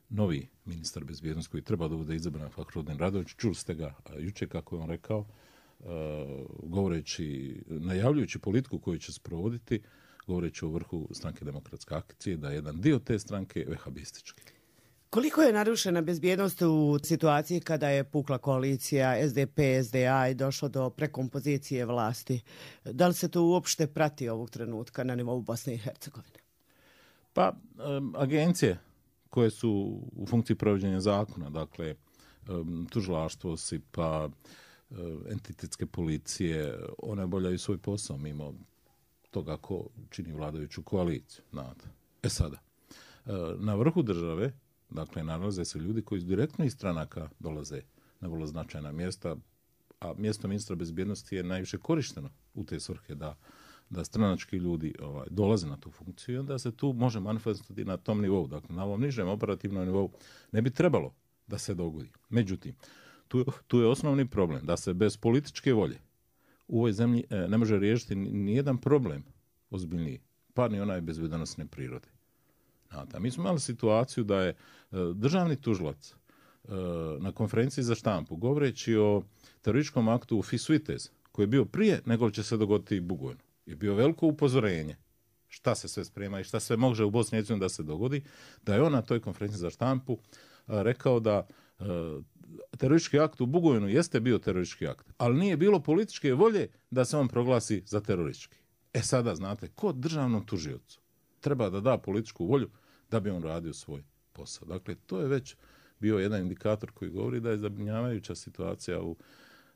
novi ministar bezbjednosti koji treba da bude izabran, Fahrudin Radović. Čuli ste ga jučer kako je on rekao, govoreći, najavljujući politiku koju će sprovoditi, govoreći o vrhu stranke Demokratske akcije, da je jedan dio te stranke vehabistički. Koliko je narušena bezbjednost u situaciji kada je pukla koalicija SDP-SDA i došlo do prekompozicije vlasti? Da li se to uopšte prati ovog trenutka na nivou Bosne i Hercegovine? Pa, agencije koje su u funkciji provođenja zakona, dakle, tužilaštvo, SIPA, entitetske policije, one obavljaju svoj posao mimo toga ko čini vladajuću koaliciju. Sada, na vrhu države, dakle, nalaze se ljudi koji direktno iz stranaka dolaze na vrlo značajna mjesta, a mjesto ministra bezbjednosti je najviše korišteno u te svrhe da stranački ljudi dolaze na tu funkciju i onda se tu može manifestirati na tom nivou. Dakle, na ovom nižem operativnom nivou ne bi trebalo da se dogodi. Međutim, tu je osnovni problem da se bez političke volje u ovoj zemlji ne može riješiti nijedan problem ozbiljniji, pa ni onaj bezbjednosne prirode. Mi smo imali situaciju da je državni tužilac na konferenciji za štampu, govoreći o terorističkom aktu u Fisuitez, koji je bio prije nego će se dogoditi i Bugojnu, je bio veliko upozorenje šta se sve sprema i šta sve može u Bosni i Hercegovini da se dogodi, da je on na toj konferenciji za štampu rekao da teroristički akt u Bugojnu jeste bio teroristički akt, ali nije bilo političke volje da se on proglasi za teroristički. Sada, znate, ko državnom tužiocu treba da da političku volju da bi on radio svoj posao. Dakle, to je već bio jedan indikator koji govori da je zabrinjavajuća situacija u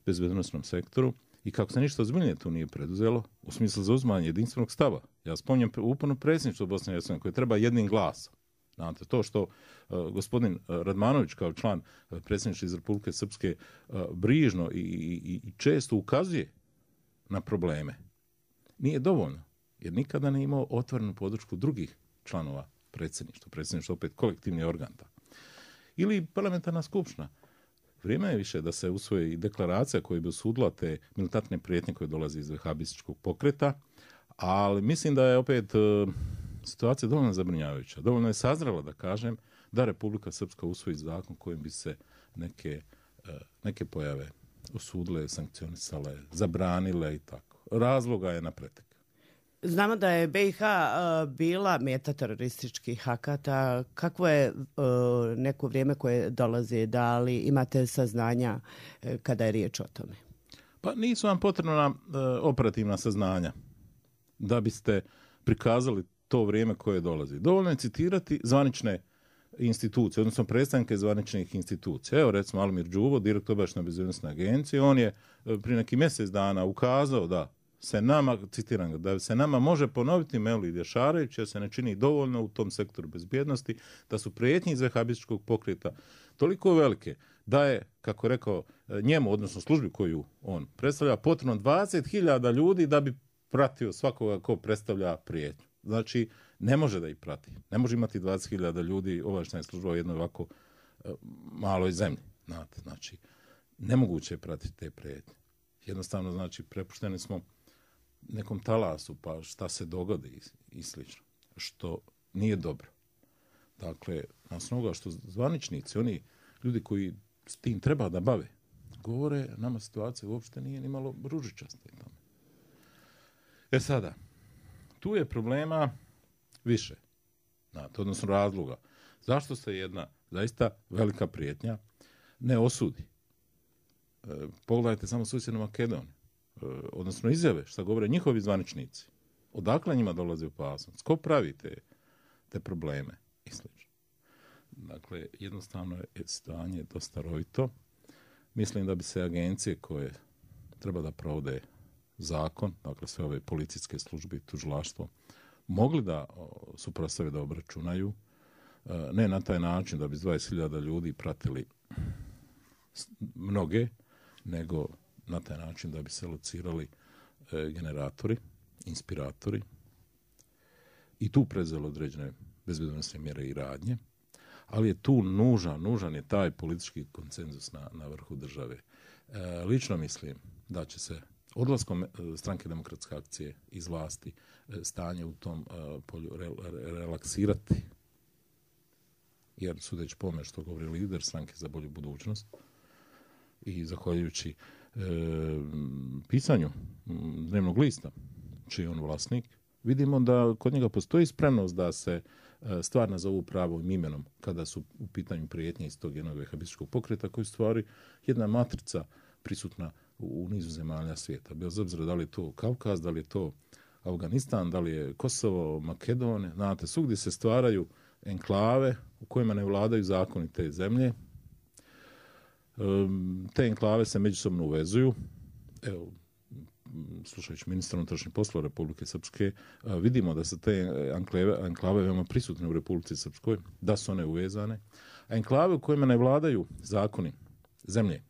bezbednosnom sektoru i kako se ništa ozbiljnije tu nije preduzelo u smislu zauzimanja jedinstvenog stava. Ja spominjem uporno predsjedništvo Bosne i Hercegovine koje treba jednim glasom. Znate, to što gospodin Radmanović kao član predsjedništva iz Republike Srpske brižno i često ukazuje na probleme, nije dovoljno, jer nikada ne imao otvorenu podršku drugih članova predsjedništva. Predsjedništvo opet kolektivni organ. Ili parlamentarna skupština. Vrijeme je više da se usvoji i deklaracija koja bi osudila te militantne prijetnje koje dolaze iz vehabističkog pokreta, ali mislim da je opet situacija dovoljno zabrinjavajuća. Dovoljno je sazrela da kažem da Republika Srpska usvoji zakon kojim bi se neke pojave osudile, sankcionisale, zabranile i tako. Razloga je na pretek. Znamo da je BiH bila meta terorističkih akata. Kakvo je neko vrijeme koje dolazi? Da li imate saznanja kada je riječ o tome? Pa nisu vam potrebna operativna saznanja da biste prikazali to vrijeme koje dolazi. Dovoljno je citirati zvanične institucije, odnosno predstavnike zvaničnih institucija. Evo recimo Almir Đuvo, direktor obavještajne bezbednosne agencije, on je prije neki mjesec dana ukazao da se nama, citiram ga, da se nama može ponoviti Mevlid Jašarević jer se ne čini dovoljno u tom sektoru bezbjednosti, da su prijetnje iz vehabističkog pokreta toliko velike da je, kako rekao, njemu, odnosno službi koju on predstavlja, potrebno 20.000 ljudi da bi pratio svakoga ko predstavlja prijetnju. Znači, ne može da ih prati. Ne može imati 20.000 ljudi obavještajne službe u jednoj ovako maloj zemlji. Znači, nemoguće je pratiti te prijetnje. Jednostavno, znači, prepušteni smo nekom talasu, pa šta se dogodi i slično. Što nije dobro. Dakle, na osnovu što zvaničnici, oni ljudi koji s tim treba da bave, govore, nama situacija uopšte nije ni malo ružičasta. Sada, tu je problema više, odnosno razloga. Zašto se jedna zaista velika prijetnja ne osudi? Pogledajte samo susjednu Makedoniju, odnosno izjave šta govore njihovi zvaničnici. Odakle njima dolazi opasnost? Ko pravi te probleme? I slično. Dakle, jednostavno je stanje dosta rovito. Mislim da bi se agencije koje treba da provode zakon, dakle sve ove policijske službe i tužilaštvo, mogli da suprotstave da obračunaju, ne na taj način da bi 20.000 ljudi pratili mnoge, nego na taj način da bi se locirali generatori, inspiratori i tu prezeli određene bezbednosne mjere i radnje, ali je tu nužan je taj politički konsenzus na vrhu države. Lično mislim da će se odlaskom Stranke demokratske akcije iz vlasti stanje u tom polju relaksirati. Jer sudeći po što govori lider Stranke za bolju budućnost i zahvaljujući pisanju dnevnog lista, čiji je on vlasnik, vidimo da kod njega postoji spremnost da se stvar nazovu pravim imenom kada su u pitanju prijetnje iz tog jednog vehabističkog pokreta koji stvari jedna matrica prisutna u nizu zemalja svijeta. Bez obzira da li je to Kavkaz, da li je to Afganistan, da li je Kosovo, Makedonija, znate, svugdje se stvaraju enklave u kojima ne vladaju zakoni te zemlje. Te enklave se međusobno uvezuju. Evo, slušajući ministra unutrašnjih poslova Republike Srpske, vidimo da su te enklave veoma prisutne u Republici Srpskoj, da su one uvezane. A enklave u kojima ne vladaju zakoni zemlje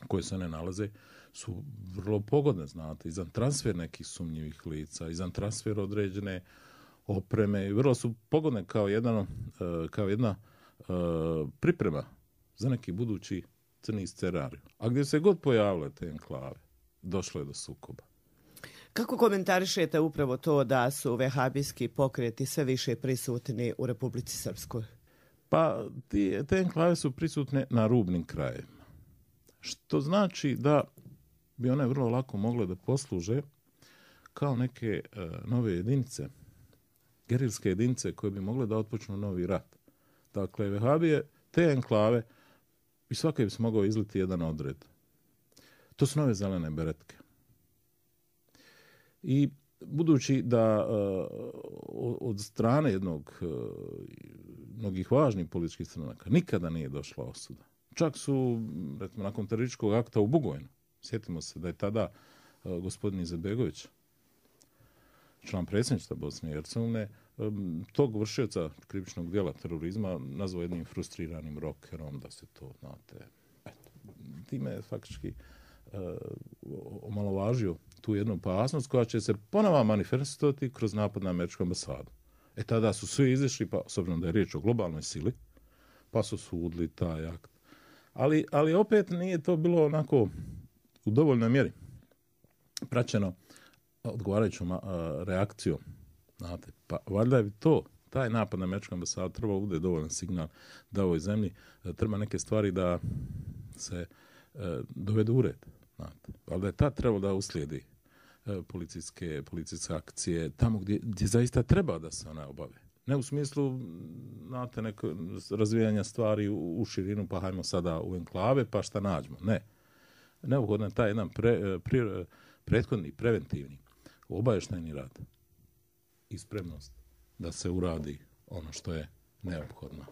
koje se one nalaze su vrlo pogodne, znate, i za transfer nekih sumnjivih lica, i za transfer određene opreme, i vrlo su pogodne kao jedna priprema za neki budući crni scenarij. A gdje se god pojavile te enklave, došlo je do sukoba. Kako komentarišete upravo to da su vehabijski pokreti sve više prisutni u Republici Srpskoj? Pa te enklave su prisutne na rubnim krajevima. Što znači da bi one vrlo lako mogle da posluže kao neke nove jedinice, gerilske jedinice koje bi mogle da otpočnu novi rat. Dakle, vehabije, te enklave, i svake bi se mogao izliti jedan odred. To su nove zelene beretke. I budući da od strane mnogih važnih političkih stranaka nikada nije došla osuda. Čak su, recimo, nakon terorističkog akta u Bugojnu, sjetimo se da je tada gospodin Izetbegović, član predsjedništva Bosne i Hercegovine, tog vršioca krivičnog djela terorizma nazvao jednim frustriranim rokerom, da se to, znate, time je faktički omalovažio tu jednu opasnost koja će se ponovo manifestovati kroz napad na američku ambasadu. Tada su svi izišli, pa s obzirom da je riječ o globalnoj sili, pa su sudili taj akt. Ali opet nije to bilo onako u dovoljnoj mjeri praćeno odgovarajućom reakcijom. Znate, pa valjda je taj napad na američku ambasadu treba bude dovoljan signal da ovoj zemlji treba neke stvari da se dovedu u red. Znate, valjda je tad trebalo da uslijedi policijske akcije tamo gdje zaista treba da se ona obave. Ne u smislu, znate, neko razvijanja stvari u širinu, pa hajmo sada u enklave, pa šta nađemo. Ne. Neophodno je taj jedan prethodni, preventivni, obavještajni rad i spremnost da se uradi ono što je neophodno.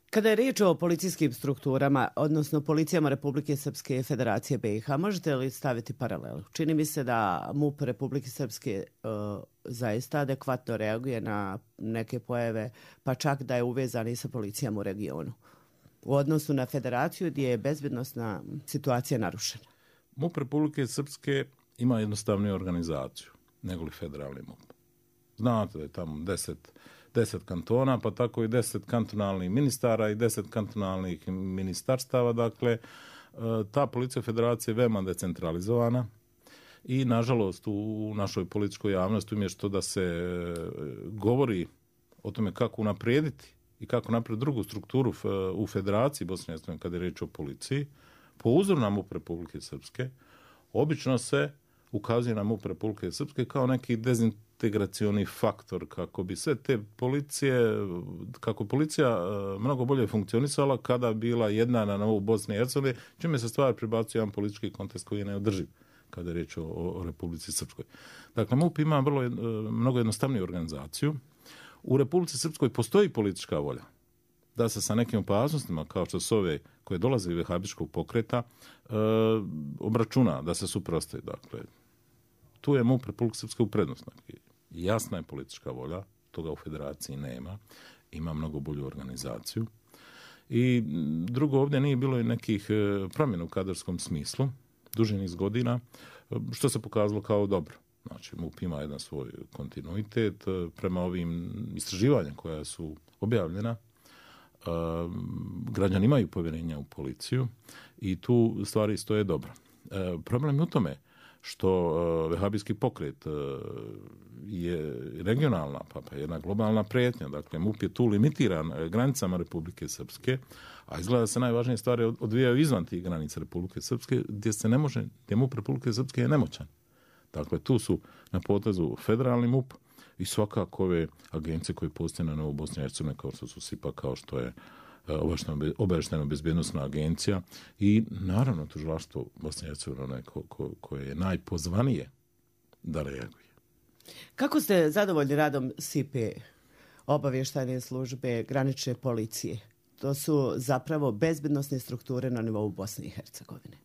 Kada je riječ o policijskim strukturama, odnosno policijama Republike Srpske i Federacije BiH, možete li staviti paralelu? Čini mi se da MUP Republike Srpske zaista adekvatno reaguje na neke pojave, pa čak da je uvezan i sa policijama u regionu. U odnosu na Federaciju gdje je bezbednosna situacija narušena. MUP Republike Srpske ima jednostavniju organizaciju nego li federalni MUP. Znate da je tamo 10 kantona, pa tako i 10 kantonalnih ministara i 10 kantonalnih ministarstava. Dakle, ta policija federacije je veoma decentralizovana i, nažalost, u našoj političkoj javnosti umjesto da se govori o tome kako unaprijediti i kako napraviti drugu strukturu u Federaciji Bosne i Hercegovine kada je riječ o policiji, po uzoru na MUP Republike Srpske, obično se ukazuje na MUP Republike Srpske kao neki dezintegracioni faktor, kako bi sve te kako policija mnogo bolje funkcionisala kada bila jedna na novu Bosne i Hercegovine, čime se stvar pribacuje jedan politički kontekst koji je neodrživ kada je riječ o Republici Srpskoj. Dakle, MUP ima mnogo jednostavniju organizaciju. U Republici Srpskoj postoji politička volja da se sa nekim opasnostima, kao što su ove koje dolaze iz vehabističkog pokreta, obračuna, da se suprotstavi. Dakle, tu je MUP Republike Srpske u prednosti. Jasna je politička volja, toga u Federaciji nema, ima mnogo bolju organizaciju. I drugo, ovdje nije bilo i nekih promjena u kadrovskom smislu, duži niz godina, što se pokazalo kao dobro. Znači, MUP ima jedan svoj kontinuitet prema ovim istraživanjem koja su objavljena. građani imaju povjerenja u policiju i tu stvari stoje dobro. Problem je u tome što vehabijski pokret je regionalna, pa jedna globalna prijetnja. Dakle, MUP je tu limitiran granicama Republike Srpske, a izgleda da se najvažnije stvari odvijaju izvan tih granica Republike Srpske, gdje MUP Republike Srpske je nemoćan. Dakle, tu su na potezu federalni MUP i svakako ove agencije koje postoje na nivou Bosne i Hercegovine, kao što su SIPA, kao što je obavještajno bezbjednosna agencija i naravno tužilaštvo Bosne i Hercegovine koje je najpozvanije da reaguje. Kako ste zadovoljni radom SIPA, obavještajne službe, granične policije? To su zapravo bezbjednosne strukture na nivou Bosne i Hercegovine.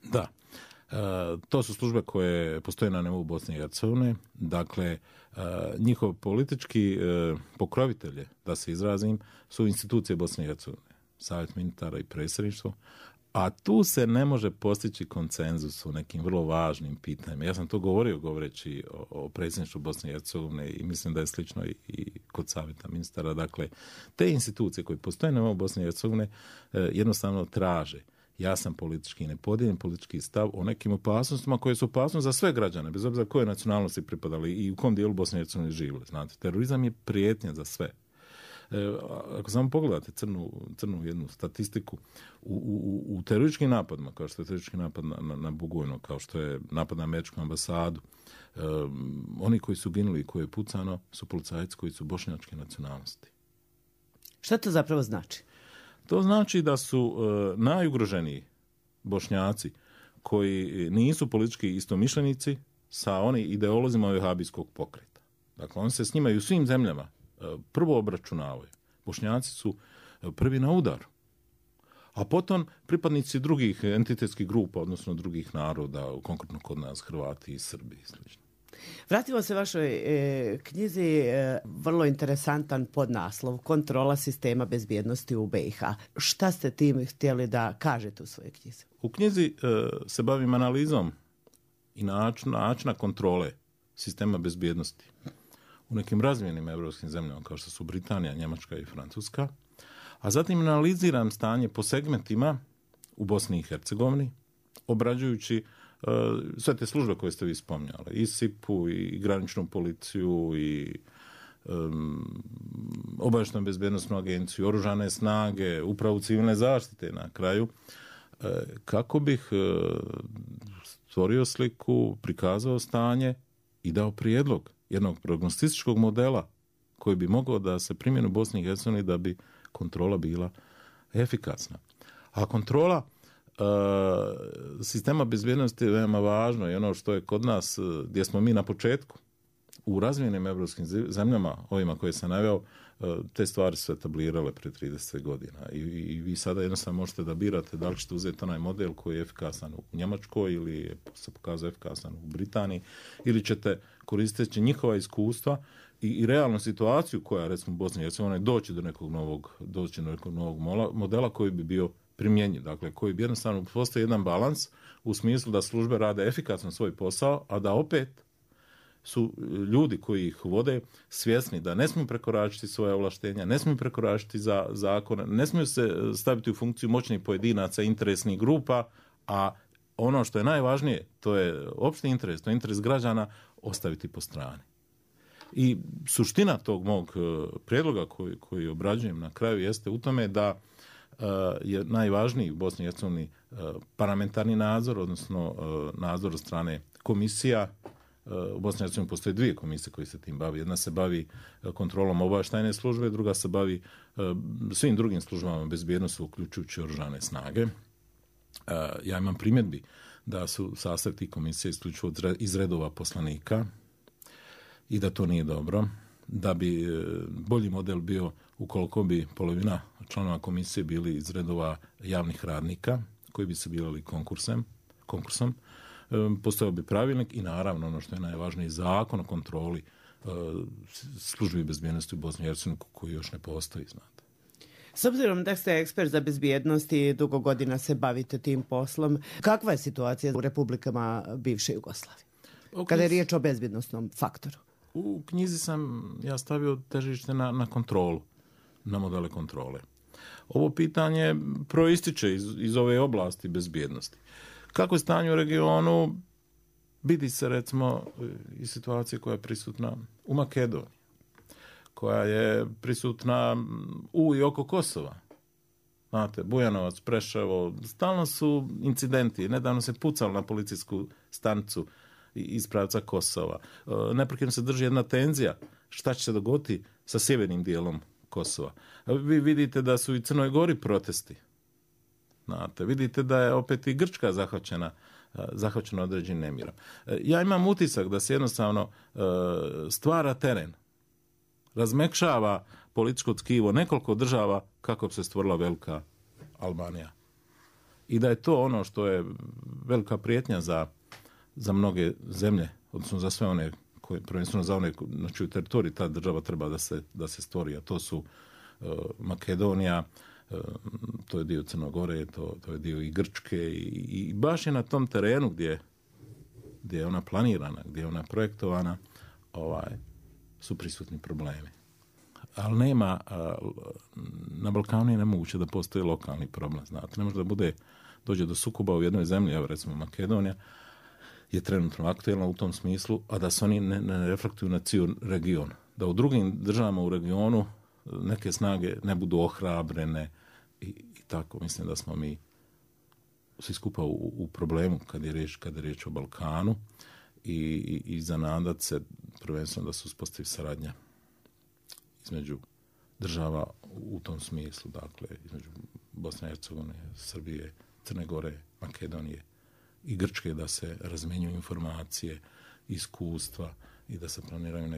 Da. To su službe koje postoje na nivou Bosne i Hercegovine. Dakle, njihov politički pokrovitelje, da se izrazim, su institucije Bosne i Hercegovine. Savjet ministara i predsjedništvo. A tu se ne može postići konsenzus u nekim vrlo važnim pitanjima. Ja sam to govorio govoreći o predsjedništvu Bosne i Hercegovine i mislim da je slično i kod savjeta ministara. Dakle, te institucije koje postoje na nivou Bosne i Hercegovine jednostavno traže jasan politički i nepodijeljen politički stav o nekim opasnostima koje su opasnosti za sve građane, bez obzira koje nacionalnosti pripadali i u kom dijelu Bosne i Hercegovine živjeli. Znate, terorizam je prijetnja za sve. Ako samo pogledate crnu jednu statistiku, u terorističkim napadima, kao što je teroristički napad na Bugojno, kao što je napad na američku ambasadu, oni koji su ginuli i koji je pucano su policajci koji su bošnjačke nacionalnosti. Šta to zapravo znači? To znači da su najugroženiji Bošnjaci koji nisu politički istomišljenici sa onim ideolozima vehabijskog pokreta. Dakle, oni se s njima i u svim zemljama prvo obračunavaju. Bošnjaci su prvi na udaru. A potom pripadnici drugih entitetskih grupa, odnosno drugih naroda, konkretno kod nas Hrvati i Srbi i sl. Vratimo se vašoj knjizi, vrlo interesantan podnaslov, Kontrola sistema bezbjednosti u BiH. Šta ste tim htjeli da kažete u svojoj knjizi? U knjizi se bavim analizom i načina kontrole sistema bezbjednosti u nekim razvijenim evropskim zemljama kao što su Britanija, Njemačka i Francuska, a zatim analiziram stanje po segmentima u Bosni i Hercegovini, obrađujući sve te službe koje ste vi spominjali, i SIP-u, i graničnu policiju, i obavještajnu bezbjednosnu agenciju, oružane snage, upravu civilne zaštite na kraju, kako bih stvorio sliku, prikazao stanje i dao prijedlog jednog prognostičkog modela koji bi mogao da se primjeni u Bosni i Hercegovini da bi kontrola bila efikasna. A kontrola sistema bezbjednosti je veoma važno i ono što je kod nas, gdje smo mi na početku, u razvijenim evropskim zemljama, ovima koje sam naveo, te stvari su etablirale pre 30 godina. I vi sada jednostavno možete da birate da li ćete uzeti onaj model koji je efikasan u Njemačkoj ili se pokazao efikasan u Britaniji, ili ćete koristeći njihova iskustva i realnu situaciju koja, recimo u Bosni i Hercegovini, doći do nekog novog modela koji bi bio primjenjiv. Dakle, koji bi jednostavno postoji jedan balans u smislu da službe rade efikasno svoj posao, a da opet su ljudi koji ih vode svjesni da ne smiju prekoračiti svoje ovlaštenja, ne smiju prekoračiti zakone, ne smiju se staviti u funkciju moćnih pojedinaca, interesnih grupa, a ono što je najvažnije, to je opšti interes, to je interes građana, ostaviti po strani. I suština tog mog prijedloga koji obrađujem na kraju jeste u tome da je najvažniji u Bosni i Hercegovini parlamentarni nadzor, odnosno nadzor od strane komisija. U Bosni i Hercegovini postoje dvije komisije koje se tim bavi. Jedna se bavi kontrolom obavještajne službe, druga se bavi svim drugim službama bezbjednosti, uključujući oružane snage. Ja imam primjedbi da su sastav tih komisija isključivo iz redova poslanika i da to nije dobro. Da bi bolji model bio ukoliko bi polovina članova komisije bili iz redova javnih radnika koji bi se birali konkursom. Postojao bi pravilnik i naravno ono što je najvažnije, zakon o kontroli službi bezbjednosti u Bosni i Hercegovini koji još ne postoji, znate. S obzirom da ste ekspert za bezbjednost i dugo godina se bavite tim poslom, kakva je situacija u republikama bivše Jugoslavije? Kada je riječ o bezbjednostnom faktoru? U knjizi sam ja stavio težište na kontrolu, na modele kontrole. Ovo pitanje proističe iz ove oblasti bezbjednosti. Kako je stanje u regionu? Vidi se recimo i situacija koja je prisutna u Makedoniji, koja je prisutna u i oko Kosova. Znate, Bujanovac, Preševo, stalno su incidenti. Nedavno se pucalo na policijsku stanicu iz pravca Kosova. Neprekidno se drži jedna tenzija. Šta će se dogoditi sa sjevernim dijelom Kosova? Vi vidite da su i Crnoj Gori protesti. Znate, vidite da je opet i Grčka zahvaćena određenim nemirom. Ja imam utisak da se jednostavno stvara teren, razmekšava političko tkivo nekoliko država kako bi se stvorila velika Albanija. I da je to ono što je velika prijetnja za mnoge zemlje, odnosno za sve one koje, prvenstveno za one na čiju teritoriji ta država treba da se stvori, a to su Makedonija, to je dio Crne Gore, to je dio i Grčke i baš je na tom terenu gdje je ona planirana, gdje je ona projektovana, su prisutni problemi. Ali nema, na Balkanu je nemoguće da postoji lokalni problem, znate. Ne može da dođe do sukoba u jednoj zemlji, evo recimo Makedonija, je trenutno aktuelna u tom smislu, a da se oni ne reflektuju na cijel region. Da u drugim državama u regionu neke snage ne budu ohrabrene i tako. Mislim da smo mi svi skupa u problemu kad je riječ o Balkanu i za nadat se prvenstveno da se uspostavi saradnja između država u tom smislu, dakle između Bosne i Hercegovine, Srbije, Crne Gore, Makedonije i Grčke, da se razmjenjuju informacije, iskustva i da se planiraju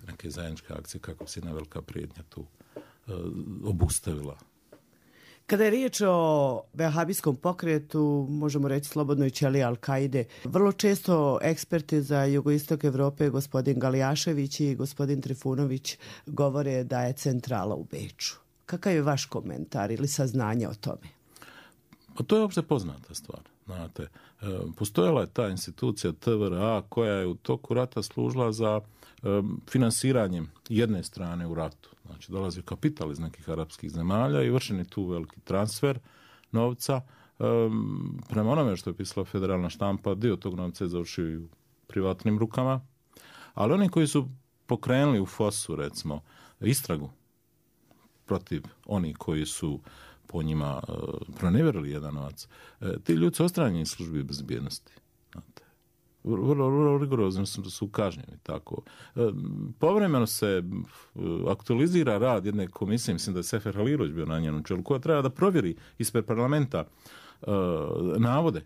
neke zajedničke akcije kako bi se jedna velika prijetnja tu obustavila. Kada je riječ o vehabijskom pokretu, možemo reći slobodno i ćelija Al-Kaide, vrlo često eksperti za jugoistok Evrope, gospodin Galijašević i gospodin Trifunović, govore da je centrala u Beču. Kakav je vaš komentar ili saznanje o tome? Pa to je uopšte poznata stvar. Znate, postojala je ta institucija TVRA koja je u toku rata služila za finansiranjem jedne strane u ratu. Znači, dolazi kapital iz nekih arapskih zemalja i vršen je tu veliki transfer novca. Prema onome što je pisala federalna štampa, dio tog novca je završio u privatnim rukama, ali oni koji su pokrenuli u FOS-u, recimo, istragu protiv onih koji su po njima pronevjerili jedan novac, ti ljudi su odstranjeni iz službi bezbjednosti. Znate, vrlo rigorozno su kažnjeni. Tako. Povremeno se aktualizira rad jedne komisije, mislim da je Sefer Halilović bio na njenom čelu, koja treba da provjeri ispred parlamenta navode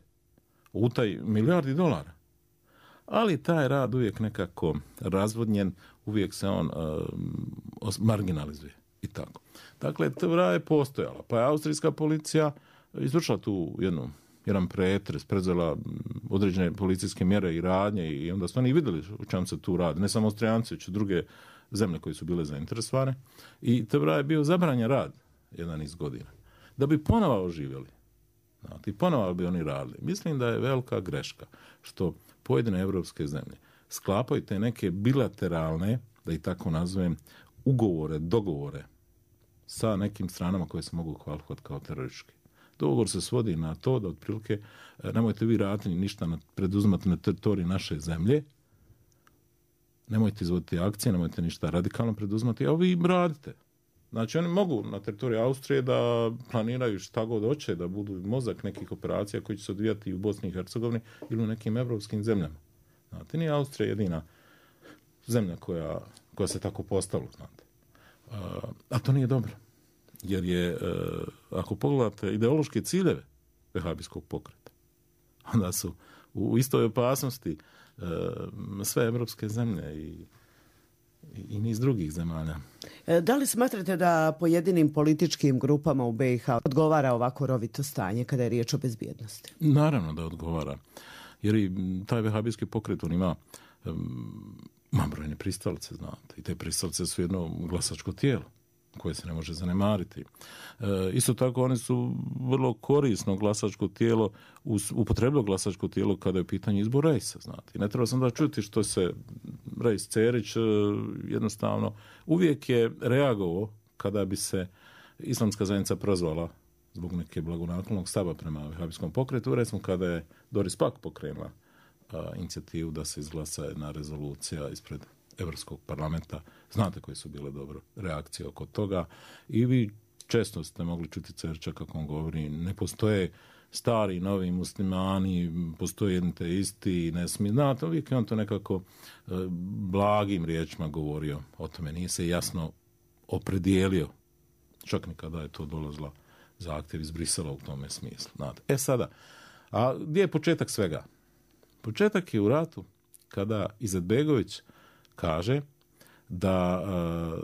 o utaji milijardi dolara. Ali taj rad uvijek nekako razvodnjen, uvijek se on marginalizuje i tako. Dakle, TVRA je postojala, pa je austrijska policija izvršila tu jedan pretres, predzela određene policijske mjere i radnje i onda su oni vidjeli o čemu se tu radi. Ne samo Austrijanci, već i druge zemlje koje su bile zainteresovane. I TVRA je bio zabranjen rad jedan iz godina. Da bi ponovo oživjeli. I ponovo bi oni radili. Mislim da je velika greška što pojedine evropske zemlje sklapaju te neke bilateralne, da ih tako nazovem, ugovore, dogovore sa nekim stranama koje se mogu kvalifikovati kao teroristički. Dogovor se svodi na to da otprilike nemojte vi raditi ništa preduzimati na teritoriji naše zemlje, nemojte izvoditi akcije, nemojte ništa radikalno preduzimati, a vi im radite. Znači oni mogu na teritoriji Austrije da planiraju šta god hoće, da budu mozak nekih operacija koji će se odvijati i u Bosni i Hercegovini ili u nekim evropskim zemljama. Znate, nije Austrija jedina zemlja koja se tako postavila, znate. A to nije dobro. Jer je, ako pogledate ideološke ciljeve vehabijskog pokreta, onda su u istoj opasnosti sve evropske zemlje i niz drugih zemalja. Da li smatrate da pojedinim političkim grupama u BiH odgovara ovako rovito stanje kada je riječ o bezbjednosti? Naravno da odgovara. Jer i taj vehabijski pokret, on ima brojne pristalice, znate. I te pristalice su jedno glasačko tijelo koje se ne može zanemariti. Isto tako oni su vrlo korisno glasačko tijelo, upotrebilo glasačko tijelo kada je u pitanju izbor rejsa, znate. I ne treba sam da čuti što se Rejs Cerić jednostavno uvijek je reagovao kada bi se islamska zajednica prozvala zbog neke blagonaklonog stava prema vehabijskom pokretu, recimo kada je Doris Pack pokrenula inicijativu da se izglasa jedna rezolucija ispred Evropskog parlamenta. Znate koje su bile dobre reakcije oko toga i vi često ste mogli čuti Cerča kako on govori, ne postoje stari, novi muslimani, postoje jedni te isti, ne smije. Znate, uvijek je on to nekako blagim riječima govorio o tome. Nije se jasno opredijelio, čak ni kada je to dolazila zahtjev iz Brisela u tome smislu. Znate. Sada, a gdje je početak svega? Početak je u ratu kada Izetbegović kaže da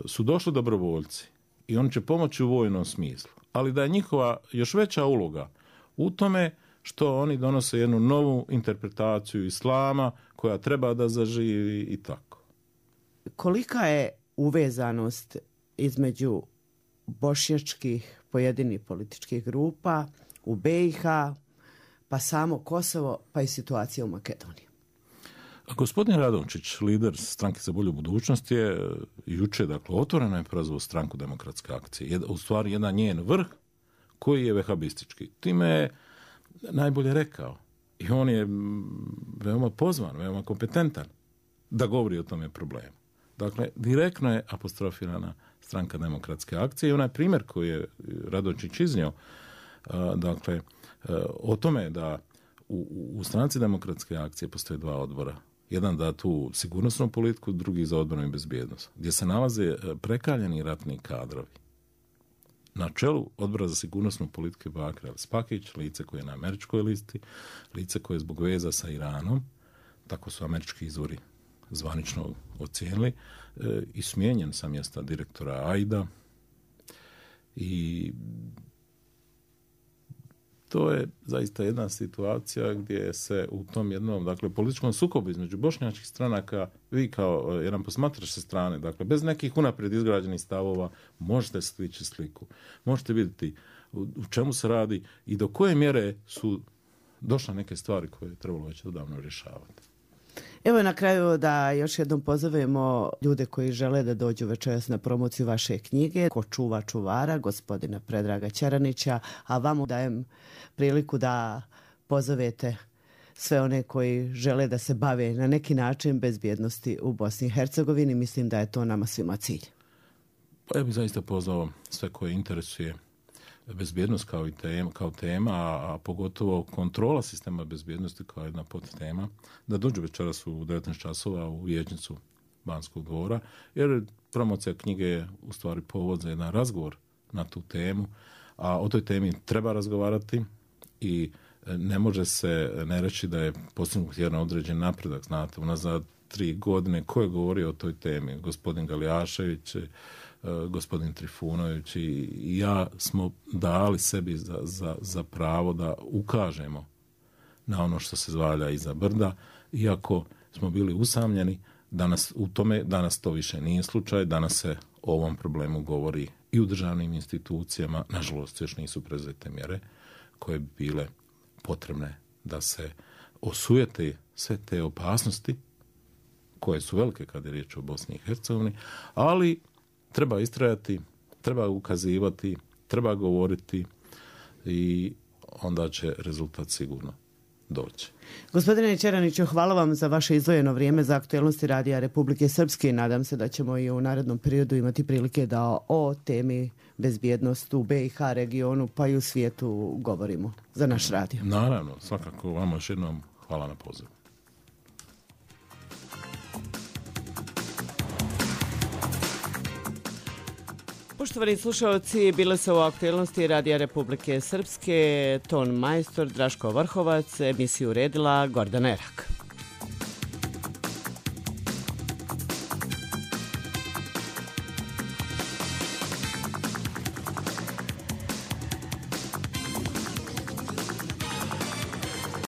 su došli dobrovoljci i oni će pomoći u vojnom smislu, ali da je njihova još veća uloga u tome što oni donose jednu novu interpretaciju islama koja treba da zaživi i tako. Kolika je uvezanost između bošnjačkih pojedinih političkih grupa u BiH, pa samo Kosovo, pa i situacija u Makedoniji? Gospodin Radončić, lider Stranke za bolju budućnost, je juče, dakle, otvoreno je prozvao Stranku demokratske akcije. U stvari, jedan njen vrh koji je vehabistički. Time je najbolje rekao. I on je veoma pozvan, veoma kompetentan da govori o tome problemu. Dakle, direktno je apostrofirana Stranka demokratske akcije i onaj primjer koji je Radončić iznio, dakle, o tome da u Stranci demokratske akcije postoje dva odbora. Jedan da tu sigurnosnu politiku, drugi za odbranu i bezbjednost, gdje se nalaze prekaljeni ratni kadrovi. Na čelu odbora za sigurnosnu politiku je Bakir El-Spakić, lice koje je na američkoj listi, lice koje je zbog veza sa Iranom, tako su američki izvori zvanično ocijenili, i smijenjen sa mjesta direktora AID-a. I to je zaista jedna situacija gdje se u tom jednom, dakle, političkom sukobu između bošnjačkih stranaka, vi kao jedan posmatrač sa strane, dakle, bez nekih unaprijed izgrađenih stavova, možete stići sliku. Možete vidjeti u čemu se radi i do koje mjere su došle neke stvari koje je trebalo već odavno rješavati. Evo na kraju da još jednom pozovemo ljude koji žele da dođu večeras na promociju vaše knjige Ko čuva čuvara, gospodina Predraga Ćeranića, a vama dajem priliku da pozovete sve one koji žele da se bave na neki način bezbjednosti u Bosni i Hercegovini. Mislim da je to nama svima cilj. Pa ja bih zaista pozvao sve koje interesuje bezbjednost kao tema, a pogotovo kontrola sistema bezbjednosti kao jedna podtema, da dođu večeras u 19 časova u vijećnicu Banskog dvora, jer promocija knjige je u stvari povod za jedan razgovor na tu temu, a o toj temi treba razgovarati i ne može se ne reći da je postignut jedan određen napredak. Znate, unazad 3 godine ko je govorio o toj temi? Gospodin Galijašević, gospodin Trifunović i ja smo dali sebi za pravo da ukažemo na ono što se zvalja iza brda, iako smo bili usamljeni. Danas to više nije slučaj, danas se o ovom problemu govori i u državnim institucijama, nažalost još nisu preuzete mjere koje bi bile potrebne da se osujete sve te opasnosti koje su velike kada je riječ o Bosni i Hercegovini, ali treba istrajati, treba ukazivati, treba govoriti i onda će rezultat sigurno doći. Gospodine Ćeraniću, hvala vam za vaše izdvojeno vrijeme za aktualnosti Radija Republike Srpske. Nadam se da ćemo i u narednom periodu imati prilike da o temi bezbjednosti u BiH regionu pa i u svijetu govorimo za naš radio. Naravno, svakako vama još jednom hvala na pozivu. Poštovani slušalci, bile su u aktualnosti Radija Republike Srpske, ton majstor Draško Vrhovac, emisiju uredila Gordana Erak.